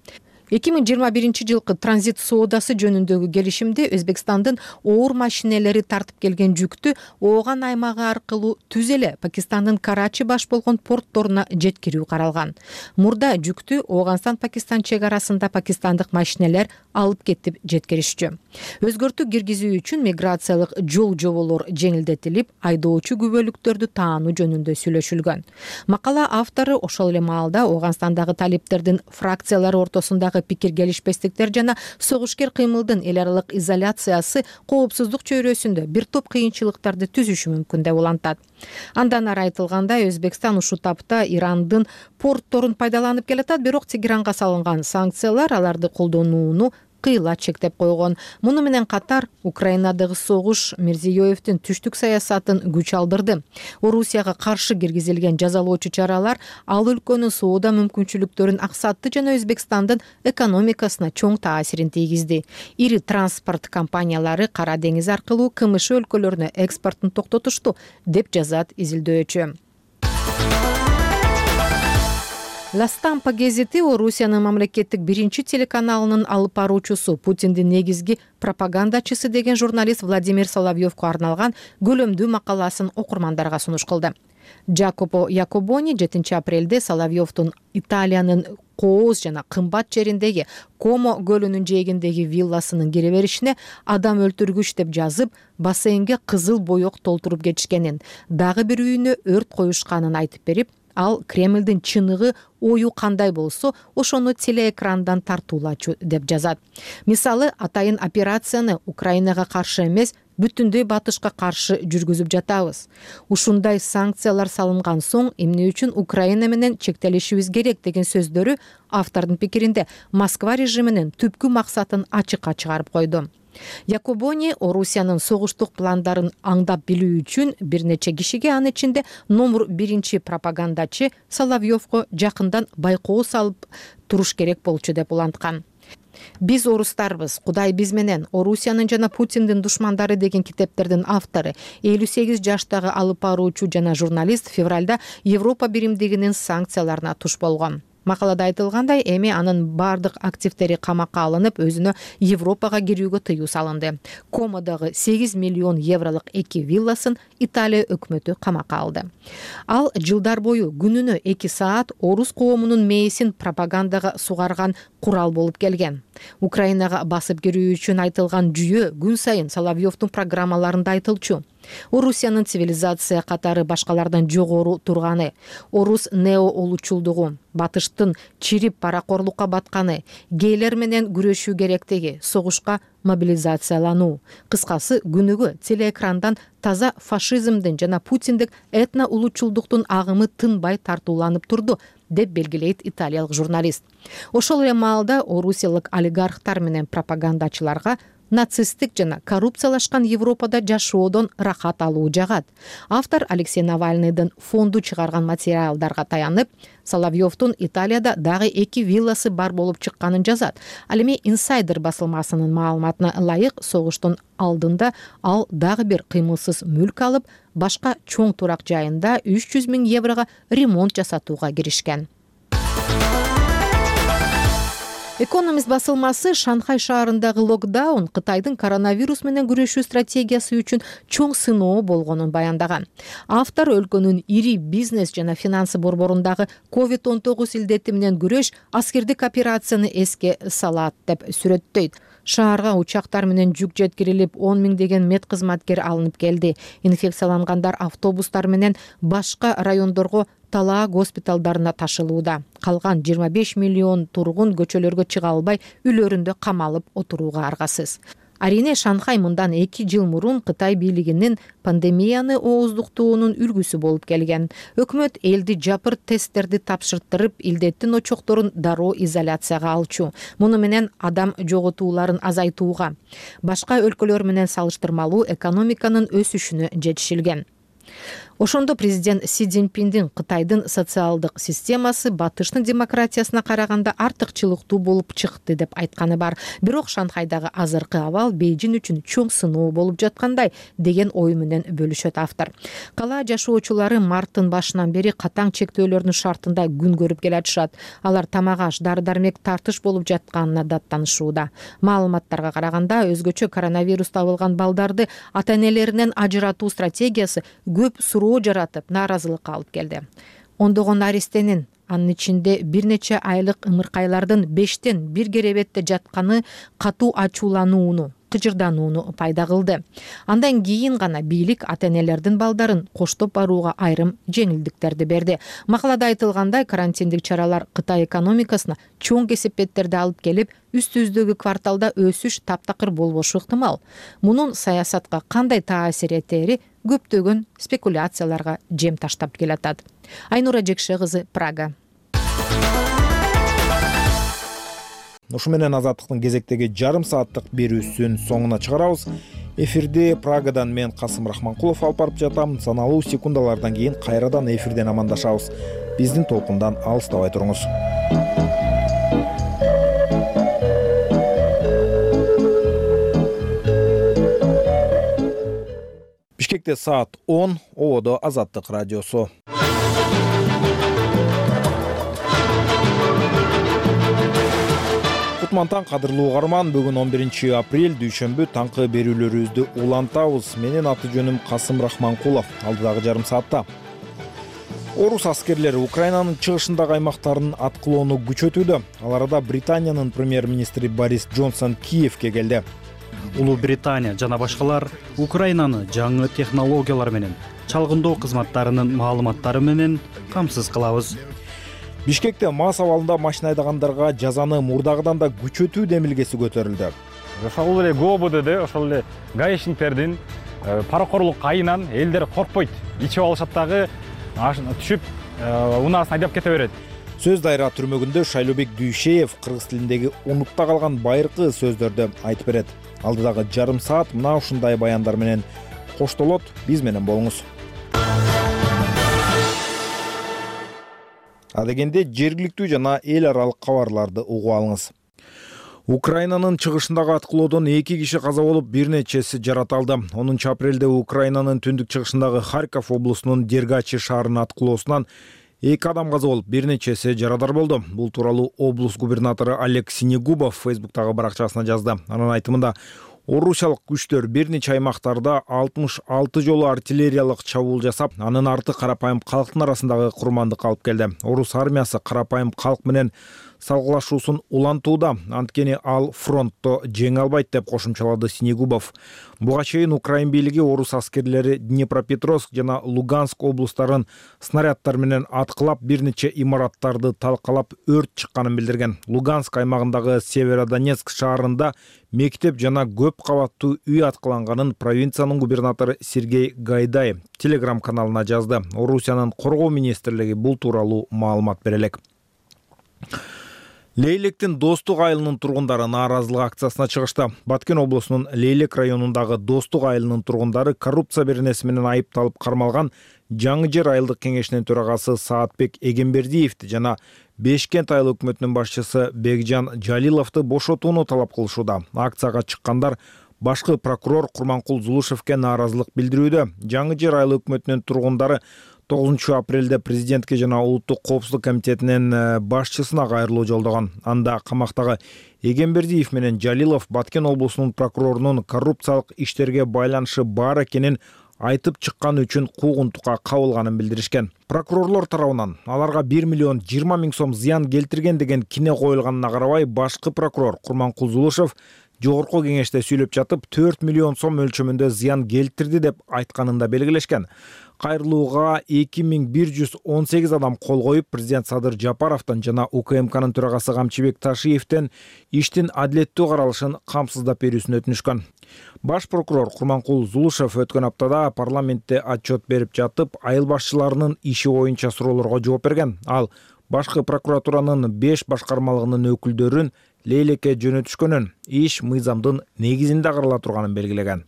U: эки миң жыйырма биринчи жылкы транзит соодасы жөнүндөгү келишимде Өзбекстандын оор машинелери тартып келген жүктү Ооган аймагы аркылуу түз эле Пакистандын Карачи баш болгон портторуна жеткирүү каралган. Мурда жүктү Ооганстан-Пакистан чек арасында пакистандык машинелер алып кетип жеткиришчү. Өзгөртүү киргизүү үчүн миграциялык жол жоболор жеңилдетилип, айдоочу күбөлүктөрдү таануу жөнүндө сүйлөшүлгөн. Макала автору ошол эле маалда Ооганстандагы талептердин фракциялары ортосундагы тууралуу пикир келишпестиктер жана согушкер кыймылдын эл аралык изоляциясы коопсуздук чөйрөсүндө бир топ кыйынчылыктарды түзүшү мүмкүн деп улантат. Андан ары айтылгандай, Өзбекстан ушул тапта Ирандын портторун пайдаланып келатат, бирок Тегеранга салынган санкциялар аларды колдонууну кыйла чектеп койгон. Муну менен катар Украинадагы согуш Мирзиёевдин түштүк саясатын күч алдырды. Орусияга каршы киргизилген жазалоочу чаралар ал өлкөнүн соода мүмкүнчүлүктөрүн аксатты жана Өзбекстандын экономикасына чоң таасирин тийгизди. Ири транспорт компаниялары Кара деңиз аркылуу КМШ өлкөлөрүнө экспортун токтотушту, деп жазат изилдөөчү. Ла Стампа гезити Орусиянын мамлекеттик биринчи телеканалынын алып баруучусу, Путиндин негизги пропагандачысы деген журналист Владимир Соловьевко арналган көлөмдүү макаласын окурмандарга сунуш кылды. Джакопо Якобони жетинчи апрелде Соловьевдун Италиянын кооз жана кымбат жериндеги Комо көлүнүн жээгиндеги вилласынын кире беришине адам өлтүргүч деп жазып, бассейнге кызыл боек толтуруп кетишкенин, дагы бир үйүнө өрт коюшканын айтып берип, ал Кремлдин чыныгы ою кандай болсо, ошону телеэкрандан тартуулачу деп жазат. Мисалы, атайын операцияны Украинага каршы эмес, бүтүндөй батышка каршы жүргүзүп жатабыз. Ушундай санкциялар салынган соң, эмне үчүн Украина менен чектелишибиз керек деген сөздөрү автордун пикиринде Москва режиминин түпкү максатын ачыкка чыгарып койду. Якобони Орусиянын согуштук пландарын аңдап билүү үчүн бир нече кишиге, анын ичинде номер биринчи пропагандачы Соловьевко жакындан байкоо салып туруш керек болчу деп уланткан. Биз орустарбыз, Кудай биз менен, Орусиянын жана Путиндин душмандары деген китептердин автору, элүү сегиз жаштагы алып баруучу жана журналист февралда Европа биримдигинин санкцияларына туш болгон. Макалада айтылгандай, эми анын бардык активдери камакка алынып, өзүнө Европага кирүүгө тыюу салынды. Комодагы сегиз миллион евролук эки вилласын Италия өкмөтү камакка алды. Ал жылдар бою күнүнө эки саат орус коомунун мээсин пропагандага сугарган курал болуп келген. Украинага басып кирүү үчүн айтылган жүйө күн сайын Соловьевдун программаларында айтылчу. Орусиянын цивилизация катары башкалардан жогору турганы, орус неоолучулдугу, батыштын чирип паракорлукка батканы, гейлер менен күрөшүү керектиги, согушка мобилизациялануу. Кыскасы, күнүгө телеэкрандан таза фашизмдин жана путиндик этно улучулдуктун агымы тынбай тартууланып турду, деп белгилейт италиялык журналист. Ошол эле маалда орусиялык олигархтар менен пропагандачыларга нацисттик жана коррупциялашкан Европада жашоодон рахат алуу жагат. Автор Алексей Навальныйдын фонду чыгарган материалдарга таянып, Соловьевдун Италияда дагы эки вилласы бар болуп чыкканын жазат. Ал эми Insider басылмасынын маалыматына ылайык, согуштун алдында ал дагы бир кыймылсыз мүлк алып, башка чоң турак жайында үч жүз миң еврого ремонт жасатууга киришкен. Экономист басылмасы Шанхай шаарындагы локдаун Кытайдын коронавирус менен күрөшүү стратегиясы үчүн чоң сыноо болгонун баяндаган. Автор өлкөнүн ири бизнес жана финансы борборундагы ковид он тогуз илдети менен күрөш аскердик операцияны эске салат деп сүрөттөйт. Шаарга учактар менен жүк жеткирилип, он миңдеген медкызматкер алынып келди. Инфекциялангандар автобустар менен башка райондорго талаа госпиталдарына ташылууда. Калган жыйырма беш миллион тургун көчөлөргө чыга албай, үйлөрүндө камалып отурууга аргасыз. Арине Шанхай мындан эки жыл мурун Кытай бийлигинин пандемияны ооздуктоонун үлгүсү болуп келген. Өкмөт элди жапыр тесттерди тапшыртырып, илдеттин очокторун дароо изоляцияга алчу. Муну менен адам жоготууларын азайтууга, башка өлкөлөр менен салыштырмалуу экономиканын өсүшүнө жетишилген. Ошондо президент Си Цзиньпиндин Кытайдын социалдык системасы батыштын демократиясына караганда артыкчылыктуу болуп чыкты деп айтканы бар. Бирок Шанхайдагы азыркы абал Бейжин үчүн чоң сыноо болуп жаткандай деген ой менен бөлүшөт автор. Кала жашоочулары марттын башынан бери катаң чектөөлөрдүн шартында күн көрүп келатышат. Алар тамак-аш, дары-дармек тартыш болуп жатканына даттанышууда. Маалыматтарга караганда, өзгөчө коронавирус табылган балдарды ата-энелеринен ажыратуу стратегиясы көп суроо жаратып, нааразылыкка алып келди. Ондогон наристенин, анын ичинде бир нече айлык ымыркайлардын бештен бир керебетте жатканы катуу ачууланууну, кыжырданууну пайда кылды. Андан кийин гана бийлик ата энелердин балдарын коштоп барууга айрым жеңилдиктерди берди. Макалада айтылгандай, карантиндик чаралар Кытай экономикасына чоң кесепеттерди алып келип, үстүбүздөгү кварталда өсүш таптакыр болбошу ыктымал. Мунун саясатка кандай таасир этери көптөгөн спекуляцияларга жем таштап келатат. Айнура Жекше кызы, Прага.
A: Ушу менен Азаттыктын кезектеги жарым сааттык берүүсүн соңуна чыгарабыз. Эфирде Прагадан мен Касым Рахманкулов алып барып жатам. Саналуу секундалардан кийин кайрадан эфирден амандашабыз. Биздин толкундан алыстабай туруңуз. Бишкекте саат он, Ободо Азаттык радиосу. Кутмантан кадырлуу угарман, бүгүн он биринчи апрель дүйшөмбү таңкы берүүлөрүбүздү улантабыз. Менин аты жөнүм Касым Рахманкулов. Алдыдагы жарым саатта орус аскерлери Украинанын чыгышындагы аймактарын аткылоону күчөтүүдө. Ал арада Британиянын премьер-министри Борис Джонсон Киевке келди.
B: Улуу Британия жана башкалар Украинаны жаңы технологиялар менен, чалгындоо кызматтарынын маалыматтары менен камсыз кылабыз.
A: Бишкекте мас абалында машина айдагандарга жазаны мурдагыдан да күчөтүү демилгеси көтөрүлдү.
D: Ошол эле ГОБДде ошол эле гаишникттердин паракорлук айынан элдер коркпойт. Ичип алышат дагы түшүп унаасын айдап кете берет.
A: Сөз дайра түрмөгүндө Шайлообек Дүйшеев кыргыз тилиндеги унутта калган байыркы сөздөрдү айтып берет. Алдыдагы жарым саат мына ушундай баяндар менен коштолот. Биз менен болуңуз. Адегенде жергиликтүү жана эл аралык кабарларды угуп алыңыз. Украинанын чыгышындагы аткылоодон эки киши каза болуп, бир нечеси жараталды. онунчу апрелде Украинанын түндүк чыгышындагы Харьков облусунун Дергачи шаарынын аткылоосунан эки адам каза болуп, бир нечеси жарадар болду. Бул тууралуу облус губернатору Олег Синегубов Фейсбуктагы баракчасына жазды. Анын айтымында, орусиялык күчтөр бир нече аймактарда алтымыш алты жолу артиллериялык чабуул жасап, анын арты карапайым калктын арасындагы курмандыкка алып келди. Орус армиясы карапайым калк менен салгылашуусун улантууда, анткени ал фронтто жеңе албайт деп кошумчалады Синегубов. Буга чейин Украин бийлиги орус аскерлери Днепропетровск жана Луганск облустарын снаряддар менен аткылап, бир нече имараттарды талкалап, өрт чыкканын билдирген. Луганск аймагындагы Северодонецк шаарында мектеп жана көп кабаттуу үй аткыланганын провинциянын губернатору Сергей Гайдай Телеграм каналына жазды. Орусиянын коргоо министрлиги бул тууралуу маалымат бере элек. Лейлектин Достук айылынын тургундары нааразылык акциясына чыгышты. Баткен облусунун Лейлек районундагы Достук айылынын тургундары коррупция беренеси менен айыпталып кармалган Жаңы Жер айылдык кеңешинин төрагасы Саатбек Эгембердиевди жана Бешкент айыл өкмөтүнүн башчысы Бекжан Жалиловду бошотууну талап кылышууда. Акцияга чыккандар башкы прокурор Курманкул Зулушевке нааразылык билдирүүдө. Жаңы Жер айыл өкмөтүнүн тургундары тогузунчу апрелде президентке жана улуттук коопсуздук комитетинин башчысына кайрылуу жолдогон. Анда камактагы Эгембердиев менен Жалилов Баткен облусунун прокурорунун коррупциялык иштерге байланышы бар экенин айтып чыкканы үчүн куугунтукка кабылганын билдиришкен. Прокурорлор тарабынан аларга бир миллион жыйырма миң сом зыян келтирген деген кине коюлганына карабай, башкы прокурор Курманкул Зулушев жогорку кеңеште сүйлөп жатып төрт миллион сом мөлчөмүндө зыян келтирди деп айтканын да белгилешкен. Кайрылууга эки миң бир жүз он сегиз адам кол коюп, президент Садыр Жапаровдон жана УКМКнын төрагасы Камчыбек Ташиевден иштин адилеттүү каралышын камсыздап берүүсүн өтүнүшкөн. Баш прокурор Курманкул Зулушев өткөн аптада парламентте отчет берип жатып, айыл башчыларынын иши боюнча суроолорго жооп берген. Ал башкы прокуратуранын беш башкармалыгынын өкүлдөрүн Лейлекке жөнөтүшкөнүн, иш мыйзамдын негизинде карала турганын белгилеген.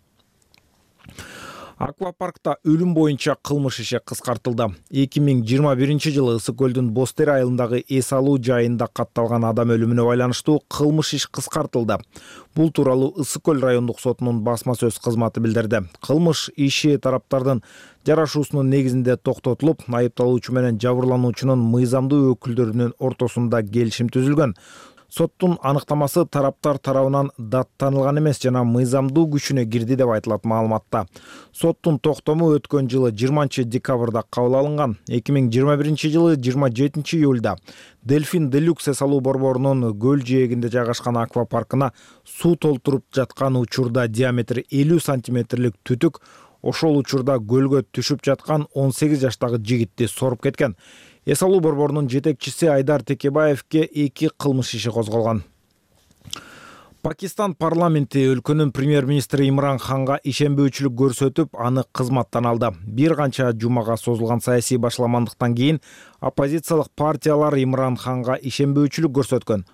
A: Аквапаркта өлүм боюнча кылмыш иши кыскартылды. эки миң жыйырма биринчи жылы Ысык көлдүн Бостер айылындагы эс алуу жайында катталган адам өлүмүнө байланыштуу кылмыш иш кыскартылды. Бул тууралуу Ысык көл райондук сотунун басма сөз кызматы билдирди. Кылмыш иши тараптардын жарашуусунун негизинде токтотулуп, айыпталуучу менен жабырлануучунун мыйзамдуу өкүлдөрүнүн ортосунда келишим түзүлгөн. Соттун аныктамасы тараптар тарабынан даттанылган эмес жана мыйзамдуу күчүнө кирди деп айтылат маалыматта. Соттун токтому өткөн жылы жыйырманчы декабрда кабыл алынган. эки миң жыйырма биринчи жылы жыйырма жетинчи июлда Дельфин Делюкс эс алуу борборунун көл жээгинде жайгашкан аквапаркына суу толтуруп жаткан учурда диаметри элүү сантиметрлик түтүк ошол учурда көлгө түшүп жаткан он сегиз жаштагы жигитти соруп кеткен. Эс алуу борборунун жетекчиси Айдар Текебаевке эки кылмыш иши козголгон. Пакистан парламенти өлкөнүн премьер-министри Имран Ханга ишенбөөчүлүк көрсөтүп, аны кызматтан алды. Бир канча жумага созулган саясий башламандыктан кийин оппозициялык партиялар Имран Ханга ишенбөөчүлүк көрсөткөн.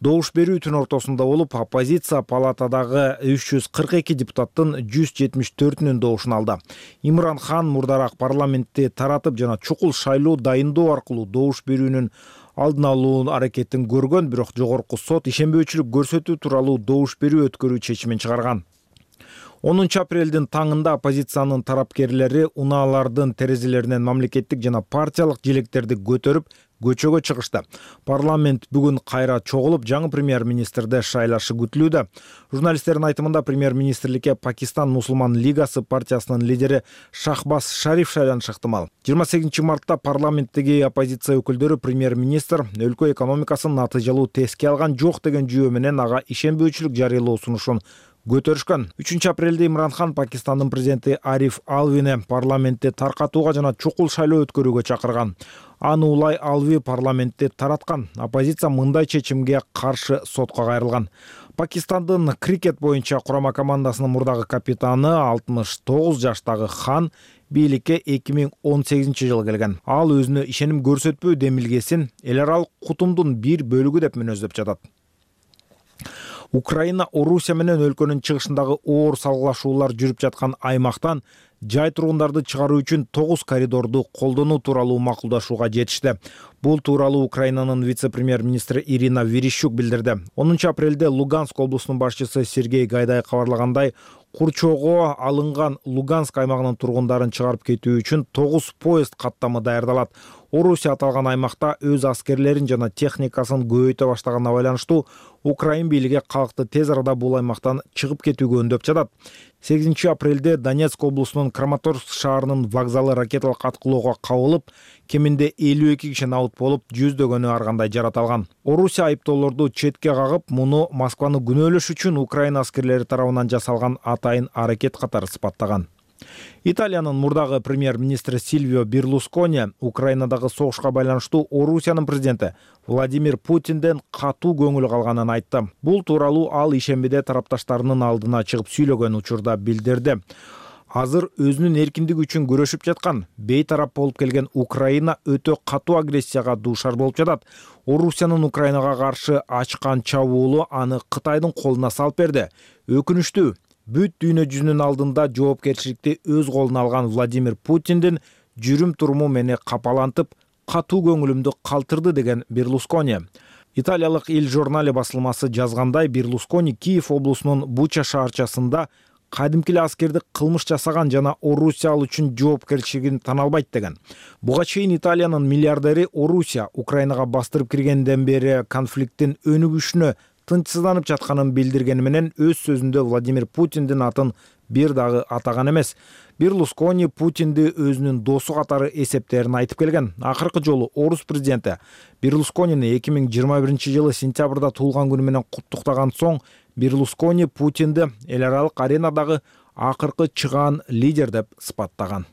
A: Добуш берүү түн ортосунда болуп, оппозиция палатадагы үч жүз кырк эки депутаттын жүз жетимиш төртүнүн добушун алды. Имран Хан мурдараак парламентти таратып жана чукул шайлоо дайындоо аркылуу добуш берүүнүн алдын алуу аракетин көргөн, бирок жогорку сот ишенбөөчүлүк көрсөтүү тууралуу добуш берүү өткөрүү чечимин чыгарган. онунчу апрелдин таңында оппозициянын тарапкерлери унаалардын терезелеринен мамлекеттик жана партиялык желектерди көтөрүп көчөгө чыгышты. Парламент бүгүн кайра чогулуп, жаңы премьер-министрди шайлашы күтүлүүдө. Журналисттердин айтымында премьер-министрликке Пакистан Мусулман лигасы партиясынын лидери Шахбаз Шариф шайланышы ыктымал. жыйырма сегизинчи мартта парламенттеги оппозиция өкүлдөрү премьер-министр өлкө экономикасын натыйжалуу теске алган жок деген жүйө менен ага ишенбөөчүлүк жарыялоо сунушун көтөрүшкөн. үчүнчү апрелде Имран Хан Пакистандын президенти Ариф Алвини парламентти таркатууга жана чукул шайлоо өткөрүүгө чакырган. Аны улай Алви парламентти тараткан. Оппозиция мындай чечимге каршы сотко кайрылган. Пакистандын крикет боюнча курама командасынын мурдагы капитаны алтымыш тогуз жаштагы Хан бийликке эки миң он сегизинчи жылы келген. Ал өзүнө ишеним көрсөтпөө демилгесин эл аралык кутумдун бир бөлүгү деп мүнөздөп жатат. Украина Орусия менен өлкөнүн чыгышындагы оор салгылашуулар жүрүп жаткан аймактан жай тургундарды чыгаруу үчүн тогуз коридорду колдонуу тууралуу макулдашууга жетишти. Бул тууралуу Украинанын вице-премьер-министри Ирина Верещук билдирди. онунчу апрелде Луганск облусунун башчысы Сергей Гайдай кабарлагандай, курчоого алынган Луганск аймагынын тургундарын чыгарып кетүү үчүн тогуз поезд каттамы даярдалат. Орусия аталган аймакта өз аскерлерин жана техникасын көбөйтө баштаганына байланыштуу Украин бийлиги калкты тез арада бул аймактан чыгып кетүүгө үндөп жатат. сегизинчи апрелде Донецк облусунун Краматорск шаарынын вокзалы ракеталык аткылоого кабылып, кеминде элүү эки киши набыт болуп, жүздөгөнү ар кандай жарат алган. Орусия айыптоолорду четке кагып, муну Москваны күнөөлөш үчүн Украина аскерлери тарабынан жасалган атайын аракет катары сыпаттаган. Италиянын мурдагы премьер-министри Сильвио Берлускони Украинадагы согушка байланыштуу Орусиянын президенти Владимир Путинден катуу көңүл калганын айтты. Бул тууралуу ал ишембиде тарапташтарынын алдына чыгып сүйлөгөн учурда билдирди. Азыр өзүнүн эркиндиги үчүн күрөшүп жаткан, бейтарап болуп келген Украина өтө катуу агрессияга дуушар болуп жатат. Орусиянын Украинага каршы ачкан чабуулу аны Кытайдын колуна салып берди. Өкүнүчтүү, бүт дүйнө жүзүнүн алдында жоопкерчиликти өз колуна алган Владимир Путиндин жүрүм туруму мени капалантып, катуу көңүлүмдү калтырды деген Берлускони. Италиялык Il Giornale басылмасы жазгандай, Берлускони Киев облусунун Буча шаарчасында кадимки эле аскерди кылмыш жасаган жана Орусия ал үчүн жоопкерчилигин тана албайт деген. Буга чейин Италиянын миллиардери Орусия Украинага бастырып киргенден бери конфликттин өнүгүшүнө тынчсызданып жатканын билдиргени менен өз сөзүндө Владимир Путиндин атын бир дагы атаган эмес. Берлускони Путинди өзүнүн досу катары эсептерин айтып келген. Акыркы жолу орус президенти Берлусконини эки миң жыйырма биринчи жылы сентябрда туулган күнү менен куттуктаган соң, Берлускони Путинди эл аралык аренадагы акыркы чыгаан лидер деп сыпаттаган.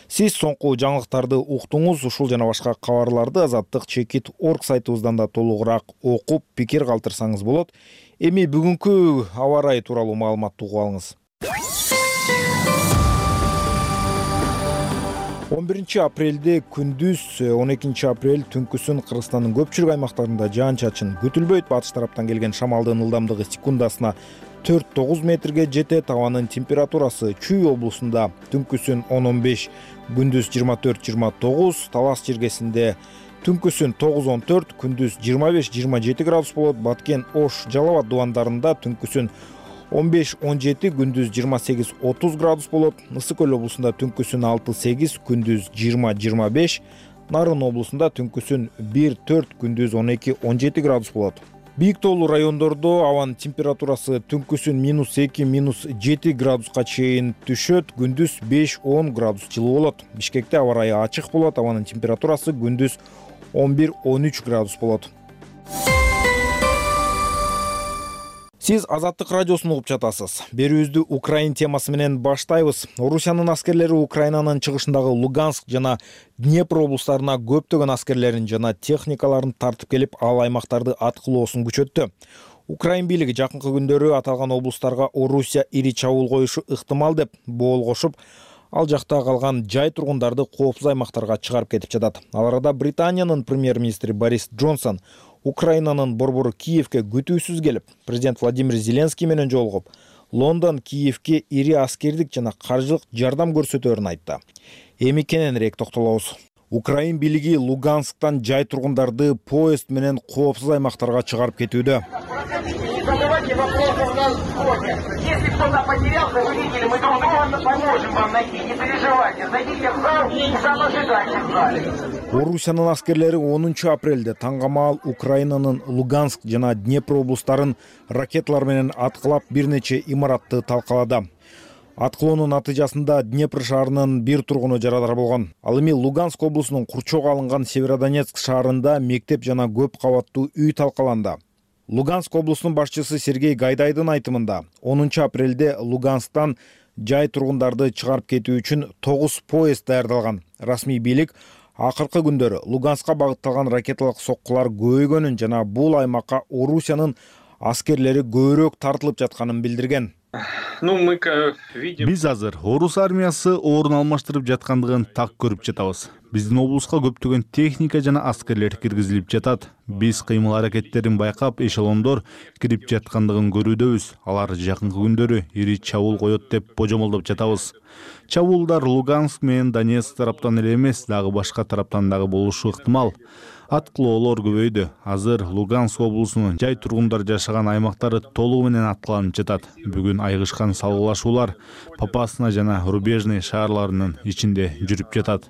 A: Сиз соңку жаңылыктарды уктуңуз. Ушул жана башка кабарларды азаттык чекит точка орг сайтыбыздан да толугураак окуп, пикир калтырсаңыз болот. Эми бүгүнкү аба ырайы тууралуу маалыматты угуп алыңыз. он биринчи апрелде күндүз, он экинчи апрель түнкүсүн Кыргызстандын көпчүлүк аймактарында жаан-чачын күтүлбөйт. Батыш тараптан келген шамалдын ылдамдыгы секундасына төрт тогуз метрге жетет. Абанын температурасы Чүй облусунда түнкүсүн он он беш, күндүз жыйырма төрт жыйырма тогуз, Талас жергесинде түнкүсүн тогуз он төрт, күндүз жыйырма беш жыйырма жети градус болот. Баткен, Ош, Жалал абад дубандарында түнкүсүн он беш он жети, күндүз жыйырма сегиз отуз градус болот. Ысык көл облусунда түнкүсүн алты сегиз, күндүз жыйырма жыйырма беш, Нарын облусунда түнкүсүн бир төрт, күндүз он эки он жети градус болот. Бийик тоолуу райондордо абанын температурасы түнкүсүн минус эки минус жети градуска чейин түшөт, күндүз беш он градус жылуу болот. Бишкекте аба ырайы ачык болот, абанын температурасы күндүз он бир он үч градус болот. Сиз Азаттык радиосун угуп жатасыз. Берүүбүздү Украин темасы менен баштайбыз. Орусиянын аскерлери Украинанын чыгышындагы Луганск жана Днепр облустарына көптөгөн аскерлерин жана техникаларын тартып келип, ал аймактарды аткылоосун күчөттү. Украин бийлиги жакынкы күндөрү аталган облустарга Орусия ири чабуул коюшу ыктымал деп боол кошуп, ал жакта калган жай тургундарды коопсуз аймактарга чыгарып кетип жатат. Ал арада Британиянын премьер-министри Борис Джонсон Украинанын борбору Киевке күтүүсүз келип, президент Владимир Зеленский менен жолугуп, Лондон Киевке ири аскердик жана каржылык жардам көрсөтөөрүн айтты. Эми кененирээк токтолобуз. Украин бийлиги Лугансктан жай тургундарды поезд менен коопсуз аймактарга чыгарып кетүүдө.
F: Задавайте вопросы у нас в ходе. Если кто-то потерялся, вы видели, мы друг друга поможем вам найти. Не переживайте, зайдите в зал и сам ожидайте в зале.
A: Орусиянын аскерлери онунчу апрелде таңгамаал Украинанын Луганск жана Днепр облустарын ракеталар менен аткылап бир нече имаратты талкалады. Аткылоонун натыйжасында Днепр шаарынын бир тургуну жарадар болгон. Ал эми Луганск облусунун курчоого алынган Северодонецк шаарында мектеп жана көп кабаттуу үй талкаланды. Луганск облусунун башчысы Сергей Гайдайдын айтымында, онунчу апрелде Лугансктан жай тургундарды чыгарып кетүү үчүн тогуз поезд даярдалган. Расмий бийлик акыркы күндөрү Луганскка багытталган ракеталык соккулар көбөйгөнүн жана бул аймакка Орусиянын аскерлери көбүрөөк тартылып жатканын билдирген.
E: Ну, мы видим... Биз азыр орус армиясы орун алмаштырып жаткандыгын так көрүп жатабыз. Биздин облуска көптөгөн техника жана аскерлер киргизилип жатат. Биз кыймыл аракеттерин байкап, эшелондор кирип жаткандыгын көрүүдөбүз. Алар жакынкы күндөрү ири чабуул коет деп божомолдоп жатабыз. Чабуулдар Луганск менен Донецк тараптан эле эмес, дагы башка тараптан дагы болушу ыктымал. Аткылоолор көбөйдү. Азыр Луганск облусунун жай тургундар жашаган аймактары толугу менен аткыланып жатат. Бүгүн айгышкан салгылашуулар Попасна жана Рубежный шаарларынын ичинде жүрүп жатат.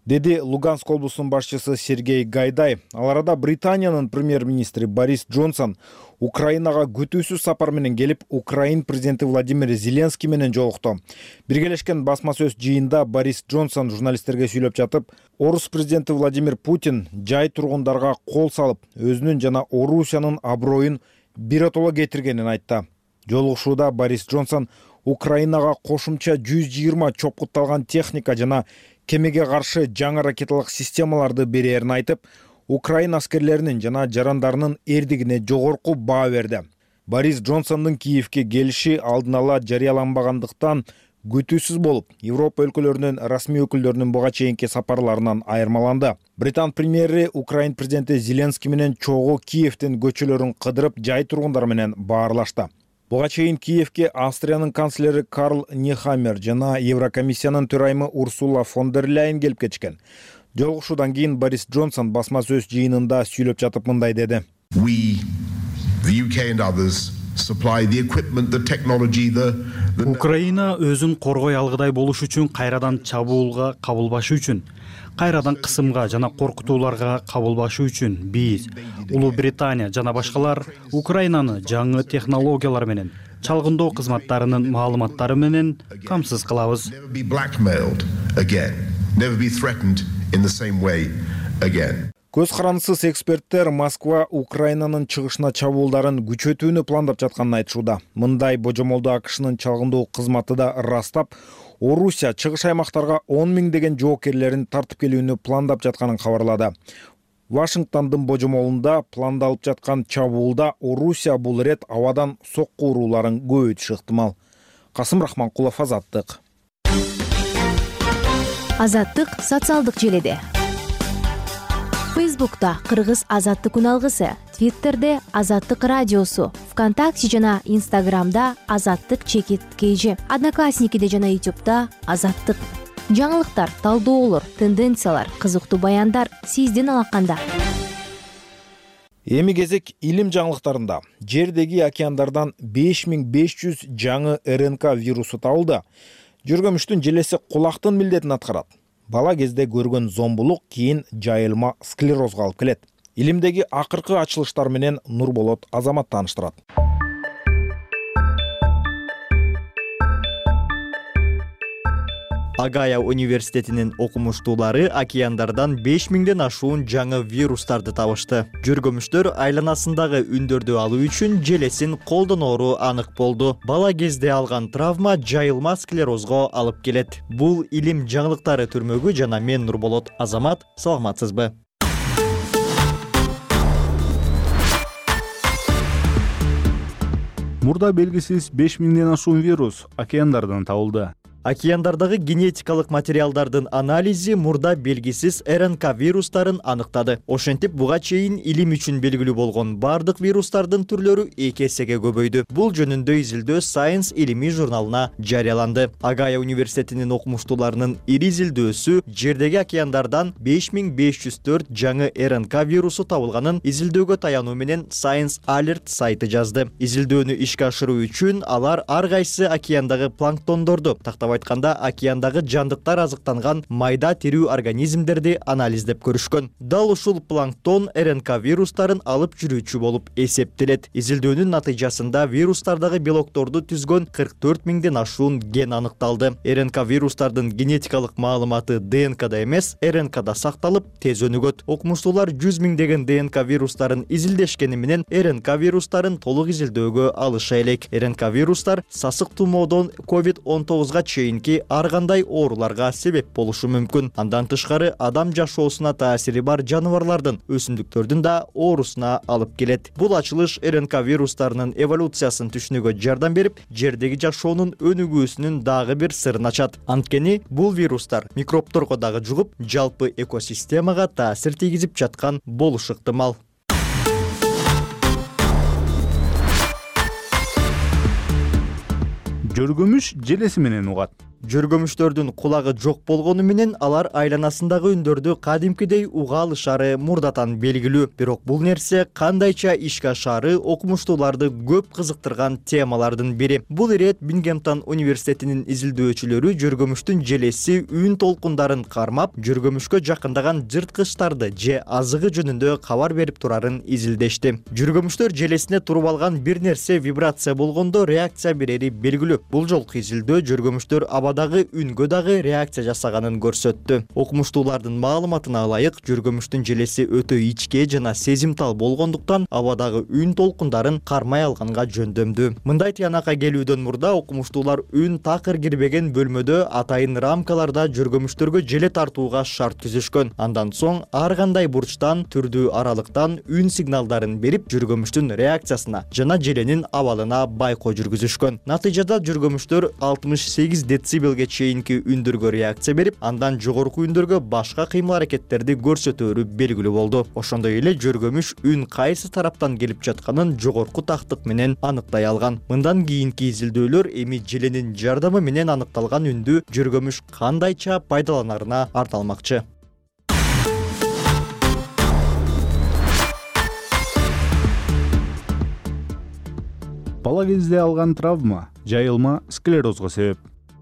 A: Деди Луганск облусунун башчысы Сергей Гайдай. Ал арада Британиянын премьер-министри Борис Джонсон Украинага күтүүсүз сапар менен келип, Украин президенти Владимир Зеленский менен жолукту. Биргелешкен басма сөз жыйында Борис Джонсон журналисттерге сүйлөп жатып, орус президенти Владимир Путин жай тургундарга кол салып, өзүнүн жана Орусиянын аброюн биротоло кетиргенин айтты. Жолугушууда Борис Джонсон Украинага кошумча жүз жыйырма чопкутталган техника жана кемеге каршы жаңы ракеталык системаларды берерин айтып, Украин аскерлеринин жана жарандарынын эрдигине жогорку баа берди. Борис Джонсондун Киевке келиши алдын ала жарыяланбагандыктан күтүүсүз болуп, Европа өлкөлөрүнүн расмий өкүлдөрүнүн буга чейинки сапарларынан айырмаланды. Британ премьери Украин президенти Зеленский менен чогуу Киевдин көчөлөрүн кыдырып, жай тургундар менен баарлашты. Буга чейин Киевке Австриянын канцлери Карл Нехаммер жана Еврокомиссиянын төрайымы Урсула фон дер Ляйен келип кетишкен. Жолугушуудан кийин Борис Джонсон басма сөз жыйынында сүйлөп жатып мындай деди.
B: Украина өзүн коргой алгыдай болуш үчүн, кайрадан чабуулга кабылбашы үчүн, кайрадан кысымга жана коркутууларга кабылбашы үчүн биз, Улуу Британия жана башкалар Украинаны жаңы технологиялар менен, чалгындоо кызматтарынын маалыматтары менен камсыз кылабыз.
A: Көз карандысыз эксперттер Москва Украинанын чыгышына чабуулдарын күчөтүүнү пландап жатканын айтышууда. Мындай божомолду АКШнын чалгындоо кызматы да ырастап, Орусия чыгыш аймактарга он миңдеген жоокерлерин тартып келүүнү пландап жатканын кабарлады. Вашингтондун божомолунда пландалып жаткан чабуулда Орусия бул ирет абадан сокку урууларын көбөйтүшү ыктымал. Касым Рахманкулов, Азаттык.
V: Азаттык социалдык желеде. Фейсбукта Кыргыз Азаттык үналгысы, Твиттерде Азаттык радиосу, ВКонтакте жана Инстаграмда Азаттык чекит кейжи, Одноклассникиде жана Ютубта Азаттык. Жаңылыктар, талдоолор, тенденциялар, кызыктуу баяндар сиздин алаканда.
A: Эми кезек илим жаңылыктарында. Жердеги океандардан беш миң беш жүз жаңы РНК вирусу табылды. Жүргөмүштүн желеси кулактын милдетин аткарат. Бала кезде көргөн зомбулук кийин жайылма склерозго алып келет. Илимдеги акыркы ачылыштар менен Нурболот Азамат тааныштырат.
G: Агая университетинин окумуштуулары океандардан беш миңден ашуун жаңы вирустарды табышты. Жүргөмүштөр айланасындагы үндөрдү алуу үчүн желесин колдоноору анык болду. Бала кезде алган травма жайылма склерозго алып келет. Бул илим жаңылыктары түрмөгү жана мен Нурболот Азамат. Саламатсызбы?
E: Мурда белгисиз беш миңден ашуун вирус океандардан табылды.
G: Океандардагы генетикалык материалдардын анализи мурда белгисиз эр эн ка вирустарын аныктады. Ошентип буга чейин илим үчүн белгилүү болгон бардык вирустардын түрлөрү эки эсеге көбөйдү. Бул жөнүндө изилдөө Science илимий журналына жарыяланды. Агая университетинин окумуштууларынын ири изилдөөсү жердеги океандардан беш миң беш жүз төрт жаңы эр эн ка вирусу табылганын изилдөөгө таянуу менен Science Alert сайты жазды. Изилдөөнү ишке ашыруу үчүн алар ар кайсы океандагы планктондорду, тактап айтканда океандагы жандыктар азыктанган майда тирүү организмдерди анализдеп көрүшкөн. Дал ушул планктон эр эн ка вирустарын алып жүрүүчү болуп эсептелет. Изилдөөнүн натыйжасында вирустардагы белокторду түзгөн кырк төрт миңден ашуун ген аныкталды. эр эн ка вирустардын генетикалык маалыматы дэ эн када эмес, эр эн када сакталып, тез өнүгөт. Окумуштуулар жүз миңдеген дэ эн ка вирустарын изилдешкени менен эр эн ка вирустарын толук изилдөөгө алыша элек. эр эн ка вирустар сасык тумоодон ковид он тогузга чейинки ар кандай ооруларга себеп болушу мүмкүн. Андан тышкары адам жашоосуна таасири бар жаныбарлардын, өсүмдүктөрдүн да оорусуна алып келет. Бул ачылыш эр эн ка вирустарынын эволюциясын түшүнүүгө жардам берип, жердеги жашоонун өнүгүүсүнүн дагы бир сырын ачат. Анткени бул вирустар микробторго дагы жугуп, жалпы экосистемага таасир тийгизип жаткан болушу ыктымал.
E: Жөргөмүш желеси менен угат.
G: Жөргөмүштөрдүн кулагы жок болгону менен алар айланасындагы үндөрдү кадимкидей уга алышары мурдатан белгилүү. Бирок бул нерсе кандайча ишке ашаары окумуштууларды көп кызыктырган темалардын бири. Бул ирет Бингемтон университетинин изилдөөчүлөрү жөргөмүштүн желеси үн толкундарын кармап, жөргөмүшкө жакындаган жырткычтарды же азыгы жөнүндө кабар берип турарын изилдешти. Жөргөмүштөр желесине туруп алган бир нерсе вибрация болгондо реакция берери белгилүү. Бул жолку изилдөө жөргөмүштөр дагы үнгө дагы реакция жасаганын көрсөттү. Окумуштуулардын маалыматына ылайык, жөргөмүштүн желеси өтө ичке жана сезимтал болгондуктан абадагы үн толкундарын кармай алганга жөндөмдүү. Мындай тыянакка келүүдөн мурда окумуштуулар үн такыр кирбеген бөлмөдө атайын рамкаларда жөргөмүштөргө желе тартууга шарт түзүшкөн. Андан соң ар кандай бурчтан, түрдүү аралыктан үн сигналдарын берип, жөргөмүштүн реакциясына жана желенин абалына байкоо жүргүзүшкөн. Натыйжада жөргөмүштөр алтымыш сегиз децибелге чейинки үндөргө реакция берип, андан жогорку үндөргө башка кыймыл аракеттерди көрсөтөөрү белгилүү болду. Ошондой эле жөргөмүш үн кайсы тараптан келип жатканын жогорку тактык менен аныктай алган. Мындан кийинки изилдөөлөр эми желенин жардамы менен аныкталган үндү жөргөмүш кандайча пайдаланарына арналмакчы.
E: Бала кезде алган травма жайылма склерозго себеп.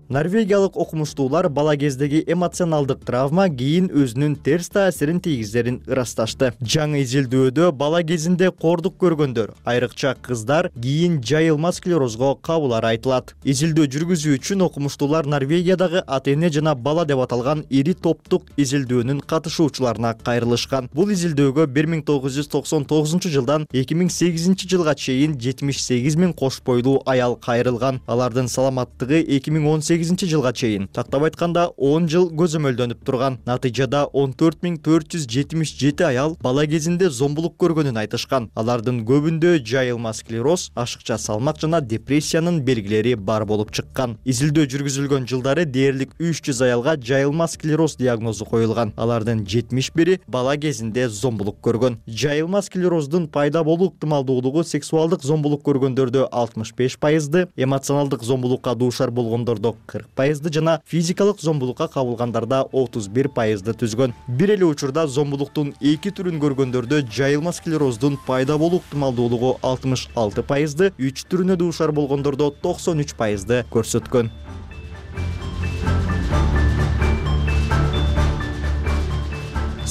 G: Норвегиялык окумуштуулар бала кездеги эмоционалдык травма кийин өзүнүн терс таасирин тийгизерин ырасташты. Жаңы изилдөөдө бала кезинде кордук көргөндөр, айрыкча кыздар кийин жайылма склерозго кабылары айтылат. Изилдөө жүргүзүү үчүн окумуштуулар Норвегиядагы ата-эне жана бала деп аталган ири топтук изилдөөнүн катышуучуларына кайрылышкан. Бул изилдөөгө бир миң тогуз жүз токсон тогузунчу жылдан эки миң сегизинчи жылга чейин жетимиш сегиз миң кош бойлуу аял кайрылган. Алардын саламаттыгы эки миң он сегизинчи жылга чейин, тактап айтканда он жыл көзөмөлдөнүп турган. Натыйжада он төрт миң төрт жүз жетимиш жети аял бала кезинде зомбулук көргөнүн айтышкан. Алардын көбүндө жайылма склероз, ашыкча салмак жана депрессиянын белгилери бар болуп чыккан. Изилдөө жүргүзүлгөн жылдары дээрлик үч жүз аялга жайылма склероз диагнозу коюлган. Алардын жетимиш бири бала кезинде зомбулук көргөн. Жайылма склероздун пайда болуу ыктымалдуулугу сексуалдык зомбулук көргөндөрдө алтымыш беш пайызды, эмоционалдык зомбулукка дуушар болгондордо кырк пайызды жана физикалык зомбулукка кабылгандарда отуз бир пайызды түзгөн. Бир эле учурда зомбулуктун эки түрүн көргөндөрдө жайылма склероздун пайда болуу ыктымалдуулугу алтымыш алты пайызды, үч түрүнө дуушар болгондордо токсон үч пайызды көрсөткөн.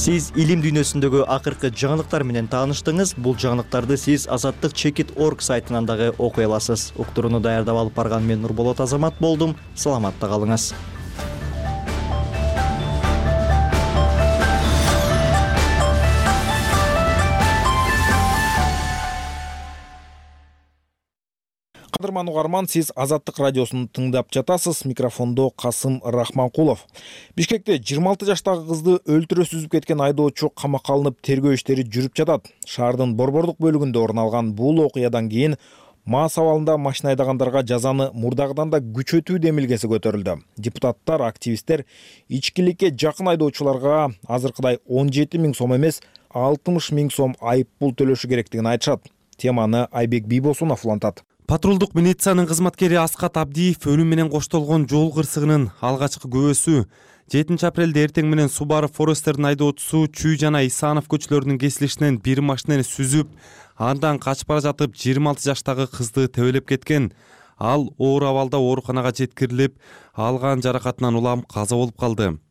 G: Сиз илим дүйнөсүндөгү акыркы жаңылыктар менен тааныштыңыз. Бул жаңылыктарды сиз азаттык чекит точка орг сайтынан дагы окуй аласыз. Уктурууну даярдап алып барган мен Нурболот Азамат болдум. Саламатта калыңыз.
A: Кадырман угарман, сиз Азаттык радиосун тыңдап жатасыз. Микрофондо Касым Рахманкулов. Бишкекте жыйырма алты жаштагы кызды өлтүрө сүзүп кеткен айдоочу камакка алынып тергөө иштери жүрүп жатат. Шаардын Борбордук бөлүгүндө орун алган бул окуядан кийин мас абалында машина айдагандарга жазаны мурдагыдан да күчөтүү демилгеси көтөрүлдү. Депутаттар, активисттер ичкиликке жакын айдоочуларга азыркыдай он жети миң сом эмес, алтымыш миң сом айып пул төлөшү керектигин айтышат. Теманы Айбек Бийбосунов улантат.
H: Патрулдук милициянын кызматкери Аскат Абдиев өлүм менен коштолгон жол кырсыгынын алгачкы күбөсү. жетинчи апрелде эртең менен Subaru Forest'тердин айдоочусу Чүй жана Исанов көчөлөрүнүн кесилишинен бир машинени сүзүп, андан качып бара жатып жыйырма алты жаштагы кызды тебелеп кеткен. Ал оор абалда ооруканага жеткирилип, алган жаракатынан улам каза болуп калды.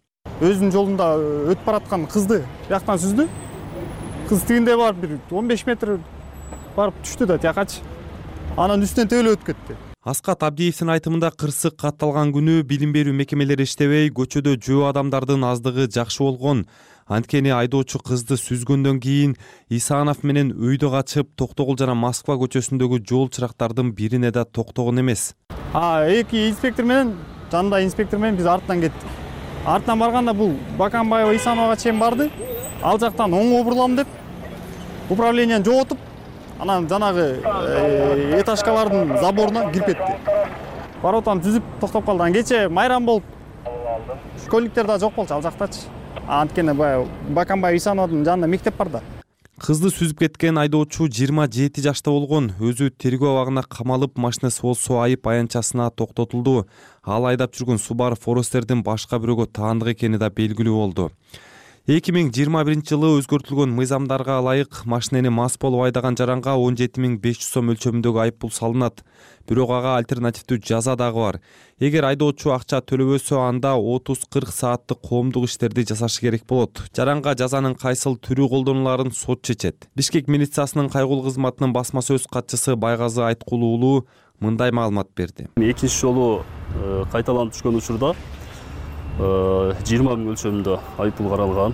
I: Өзүнүн жолунда өтүп бараткан кызды бияктан сүздү. Кыз тигинде барып бир он беш метр барып түштү да тиякачы. Анан үстүнөн тебелеп өтүп кетти.
H: Аскат Абдиевдин айтымында кырсык катталган күнү билим берүү мекемелери иштебей, көчөдө жөө адамдардын аздыгы жакшы болгон. Анткени айдоочу кызды сүзгөндөн кийин Исанов менен өйдө качып, Токтогул жана Москва көчөсүндөгү жол чырактардын бирине да токтогон эмес.
I: А эки инспектор менен, жанында инспектор менен биз артынан кеттик. Артынан барганда бул Баканбаева Исановага чейин барды. Ал жактан оңго бурулам деп управленияны жоготуп, анан жанагы этажкалардын заборуна кирип кетти. Баротан түзүп токтоп калды. Кече майрам болуп, школьниктер да жок болчу ал жактачы. Анткени баягы Баканбаев Исановдун жанында мектеп бар да.
H: Кызды сүзүп кеткен айдоочу жыйырма жети жашта болгон. Өзү тергөө абагына камалып, машинасы болсо айып аянтчасына токтотулду. Ал айдап жүргөн Subaru Forest'тердин башка бирөөгө таандык экени да белгилүү болду. эки миң жыйырма биринчи жылы өзгөртүлгөн мыйзамдарга ылайык машинени мас болуп айдаган жаранга он жети миң беш жүз сом өлчөмүндөгү айып пул салынат. Бирок ага альтернативдүү жаза дагы бар. Эгер айдоочу акча төлөбөсө, анда отуз кырк сааттык коомдук иштерди жасашы керек болот. Жаранга жазанын кайсыл түрү колдонуларын сот чечет. Бишкек милициясынын кайгылуу кызматынын басма сөз катчысы Байгазы Айткулуу уулу мындай маалымат берди.
W: Экинчи жолу кайталанып түшкөн учурда жыйырма миң өлчөмүндө айып пул каралган.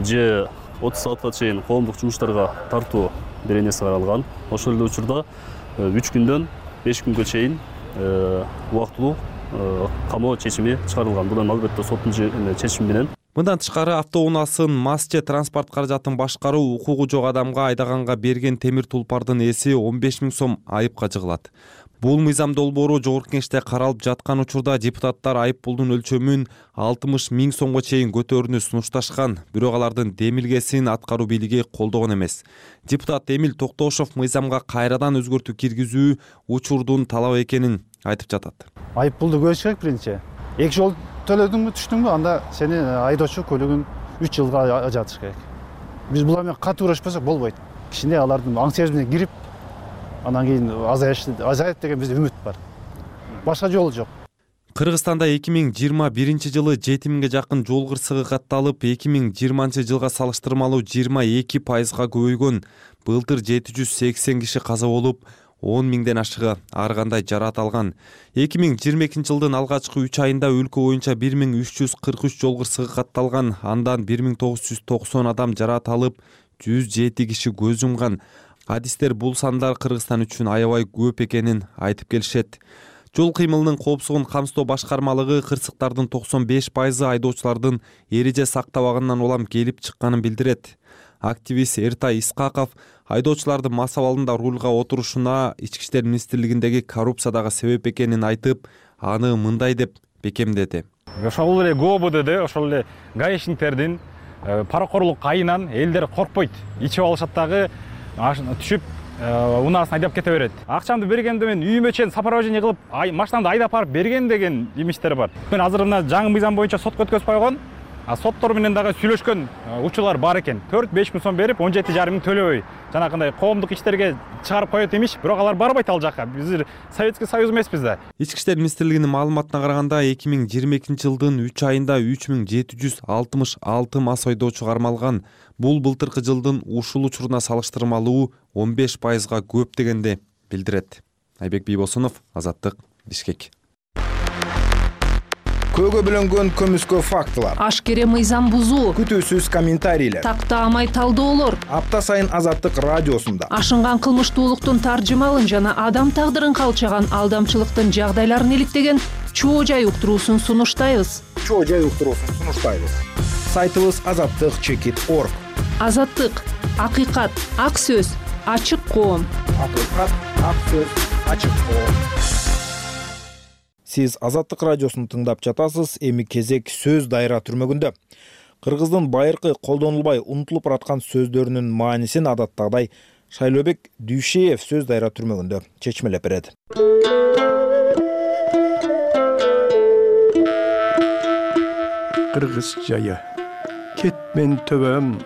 W: Же отуз саатка чейин коомдук жумуштарга тартуу беренеси каралган. Ошол эле учурда үч күндөн беш күнгө чейин убактылуу камоо чечими чыгарылган. Бул эми албетте соттун чечими менен.
H: Мындан тышкары автоунаасын мас же транспорт каражатын башкаруу укугу жок адамга айдаганга берген темир тулпардын эси он беш миң сом айыпка жыгылат. Бул мыйзам долбоору Жогорку Кеңеште каралып жаткан учурда депутаттар айып пулдун өлчөмүн алтымыш миң сомго чейин көтөрүүнү сунушташкан. Бирок алардын демилгесин аткаруу бийлиги колдогон эмес. Депутат Эмил Токтошов мыйзамга кайрадан өзгөртүү киргизүү учурдун талап экенин айтып жатат.
I: Айып пулду көбөйүш керек биринчи. Эки жол төлөдүңбү, түштүңбү, анда сени айдоочу көлүгүн үч жылга ажатыш керек. Биз була менен катуу уурашпасак болбойт. Кичине алардын аң сериз менен кирип, анан кийин азайат деген бизде үмүт бар. Башка жолу жок.
H: Кыргызстанда эки миң жыйырма биринчи жылы жети миңге жакын жол кырсыгы катталып, эки миң жыйырманчы жылга салыштырмалуу жыйырма эки пайызга көбөйгөн. Былтыр жети жүз сексен киши каза болуп, он миңден ашыгы ар кандай жараат алган. эки миң жыйырма экинчи жылдын алгачкы үч айында өлкө боюнча бир миң үч жүз кырк үч жол кырсыгы катталган. Андан бир миң тогуз жүз токсон адам жараат алып, жүз жети киши көз жумган. Адистер бул сандар Кыргызстан үчүн аябай көп экенин айтып келишет. Жол кыймылынын коопсуздугун камсыздоо башкармалыгы кырсыктардын токсон беш пайызы айдоочулардын эреже сактабаганынан улам келип чыкканын билдирет. Активист Эртай Искаков айдоочулардын мас абалында рулга отурушуна Ички иштер министрлигиндеги коррупция дагы себеп экенин айтып, аны мындай деп бекемдеди.
D: Ошол эле ГОБДде ошол эле гаишниктердин паракорлук айынан элдер коркпойт. Ичип алышат дагы, түшүп унаасын айдап кете берет. Акчамды бергенде мен үйүмө чейин сопровождение кылып, машинамды айдап барып берген деген имиштер бар. Мен азыр мына жаңы мыйзам боюнча сотко өткөзүп койгон. соттор менен дагы сүйлөшкөн учурлар бар экен. төрт беш миң сом берип, он жети жарым миң төлөбөй жанагындай коомдук иштерге чыгарып коет имиш, бирок алар барбайт ал жака. Биз Советский Союз эмеспиз да.
H: Ички иштер министрлигинин маалыматына караганда эки миң жыйырма экинчи жылдын үч айында үч миң жети жүз алтымыш алты мас ойдоочу кармалган. Бул былтыркы жылдын ушул учуруна салыштырмалуу он беш пайызга көп дегенди билдирет. Айбек Бийбосунов, Азаттык, Бишкек.
A: Көөгө бөлөнгөн көмүскө фактылар,
S: ашкере мыйзам бузуу,
A: күтүүсүз комментарийлер,
S: тактаамай талдоолор
A: апта сайын Азаттык радиосунда
S: ашынган кылмыштуулуктун таржымалын жана адам тагдырын калчаган алдамчылыктын жагдайларын иликтеген чоо жай уктуруусун сунуштайбыз.
A: Чоо жай уктуруусун сунуштайбыз. Сайтыбыз азаттык чекит точка орг.
S: Азаттык, акыйкат, ак сөз, ачык коом.
A: Акыйкат, ак сөз, ачык коом. Сиз Азаттык радиосун тыңдап жатасыз. Эми кезек сөз дайра түрмөгүндө. Кыргыздын байыркы колдонулбай унутулуп бараткан сөздөрүнүн маанисин адаттагыдай Шайлообек Дүйшеев сөз дайра түрмөгүндө чечмелеп берет.
J: Кыргыз жайы кетмен төбөм,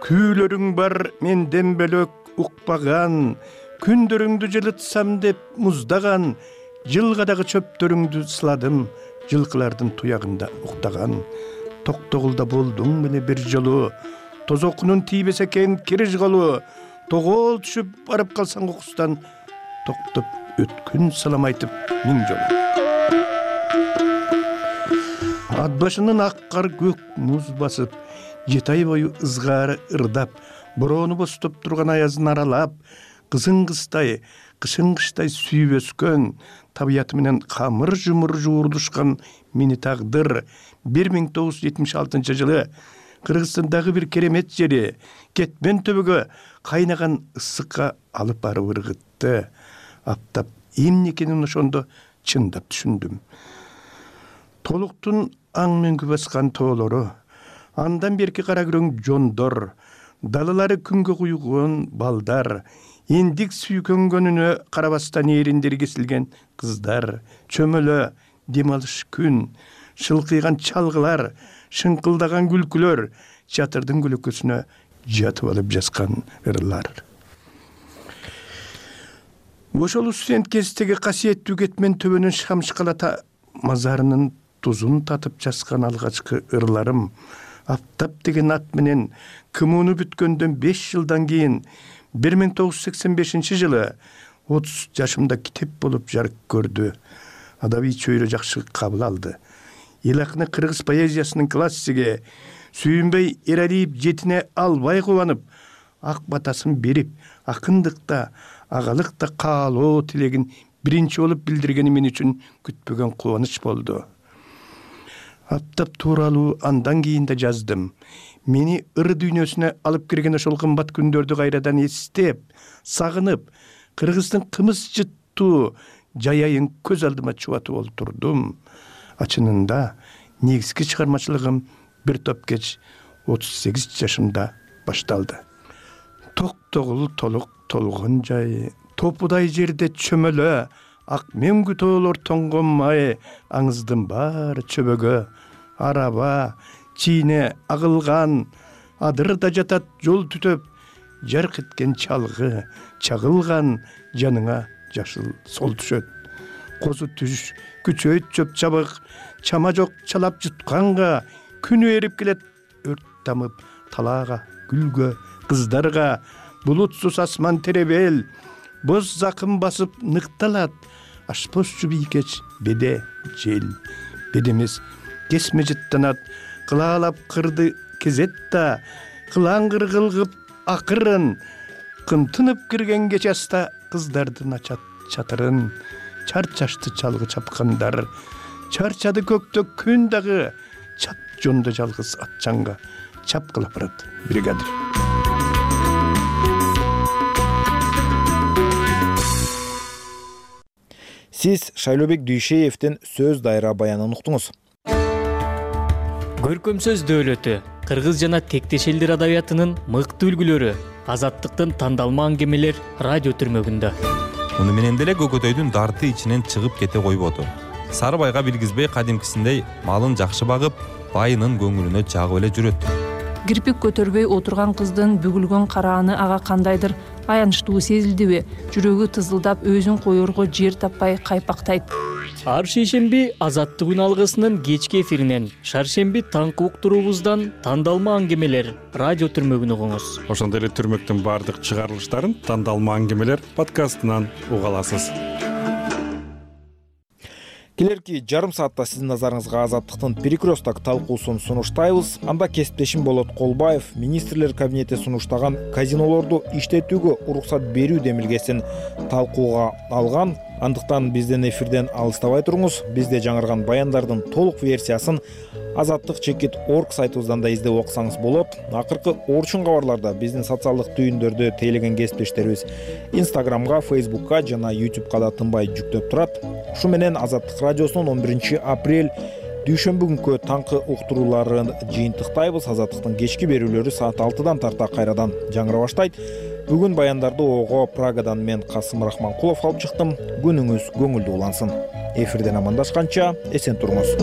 J: күүлөрүң бар менден бөлөк укпаган, күндөрүңдү жылытсам деп муздаган, жылгадагы чөптөрүңдү сыладым, жылкылардын туягында уктаган. Токтогулда болдуң беле бир жолу, тозокунун тийбесе экен кириш колу, тогол түшүп барып калсаң окустан, токтоп өткүн салам айтып миң жолу. Ат башынын ак кар көк муз басып, жети ай бою ызгаары ырдап, бороону бостоп турган аязын аралап, кызың кыздай, кышың кыштай сүйүп өскөн, табиаты менен камыр жумур жуурдушкан мени тагдыр бир миң тогуз жүз жетимиш алтынчы жылы Кыргызстандагы бир керемет жери кетмен төбөгө кайнаган ысыкка алып барып ыргытты. Аптап эмне экенин ошондо чындап түшүндүм. Толуктун аң мөңгү баскан тоолору, андан берки кара күрөң жондор, далалары күнгө куйгон балдар, индик сүйкөнгөнүнө карабастан эриндери кесилген кыздар, чөмөлө дем алыш күн, шылкыйган чалгылар, шыңкылдаган күлкүлөр, чатырдын көлөкөсүнө жатып алып жазган ырлар. Ошол студент кездеги касиеттүү кетмен төбөнүн шамшкалата мазарынын тузун татып жазган алгачкы ырларым, Аптап деген ат менен кымууну бүткөндөн беш жылдан кийин бир миң тогуз жүз сексен бешинчи жылы отуз жашымда китеп болуп жарык көрдү. Адабий чөйрө жакшы кабыл алды. Эл акыны кыргыз поэзиясынын классиги Сүйүнбөй Эралиев жетине албай кубанып, ак батасын берип, акындыкта, агалыкта каалоо тилегин биринчи болуп билдиргени мен үчүн күтпөгөн кубаныч болду. Аптап тууралуу андан кийин да жаздым. Мени ыр дүйнөсүнө алып кирген ошол кымбат күндөрдү кайрадан эстеп, сагынып, Кыргыздын кымыз жыттуу жайайын көз алдыма чубатып олтурдум. Ачынында негизги чыгармачылыгым бир топ кеч отуз сегиз жашымда башталды. Токтогул толук толгон жай, топудай жерде чөмөлө, ак мөңгү тоолор тоңгон май, аңыздын баары чөбөгө, араба, чийне агылган, адырда жатат жол түтөп, жарк эткен чалгы, чагылган жаныңа жашыл сол түшөт. Козу түш, күчөйт чөп чабык, чама жок чалап жутканга, күнү эрип келет өрт тамып, талаага, гүлгө, кыздарга, булутсуз асман теребел, боз закым басып ныкталат, ашпозчу бийкеч беде жел. Бедемес кесме жыттанат, кылаалап кырды кезет да, кылаңгыр кылгып акырын, кымтынып кирген кечаста кыздардын ачат чатырын, чарчашты чалгы чапкандар, чарчады көктө күн дагы, чат жонду жалгыз атчанга чапкылап барат бригадир.
A: Сиз Шайлообек Дүйшеевдин сөз дайра баянын уктуңуз.
M: Көркөм сөз дөөлөтү кыргыз жана тектеш элдер адабиятынын мыкты үлгүлөрү, Азаттыктын тандалма аңгемелер радио түрмөгүндө.
H: Муну менен деле Көкөтөйдүн дарты ичинен чыгып кете койбоду. Сарыбайга билгизбей кадимкисиндей малын жакшы багып, байынын көңүлүнө жагып эле жүрөт.
S: Кирпик көтөрбөй отурган кыздын бүгүлгөн карааны ага кандайдыр аянычтуу сезилдиби? Жүрөгү тызылдап, өзүн коерго жер таппай кайпактайт.
M: Ар шейшемби Азаттык үн алгысынын кечки эфиринен, шаршемби таңкы уктуруубуздан тандалма аңгемелер радио түрмөгүн угуңуз.
C: Ошондой эле түрмөктүн баардык чыгарылыштарын тандалма аңгемелер подкастынан уга аласыз.
A: Келерки жарым саатта сиздин назарыңызга Азаттыктын перекресток талкуусун сунуштайбыз. Анда кесиптешим Болот Колбаев министрлер кабинети сунуштаган казинолорду иштетүүгө уруксат берүү демилгесин талкууга алган. Андыктан биздин эфирден алыстабай туруңуз. Бизде жаңырган баяндардын толук версиясын азаттык чекит точка орг сайтыбыздан да издеп окусаңыз болот. Акыркы орчун кабарларда биздин социалдык түйүндөрдү тейлеген кесиптештерибиз Инстаграмга, Фейсбукка жана Ютубка да тынбай жүктөп турат. Ушу менен Азаттык радиосунун он биринчи апрель дүйшөмбү күнкү таңкы уктурууларын жыйынтыктайбыз. Азаттыктын кечки берүүлөрү саат алтыдан тарта кайрадан жаңыра баштайт. Бүгүн баяндарды ого Прагадан мен Касым Рахманкулов алып чыктым. Күнүңүз көңүлдүү улансын. Эфирден амандашканча эсен туруңуз.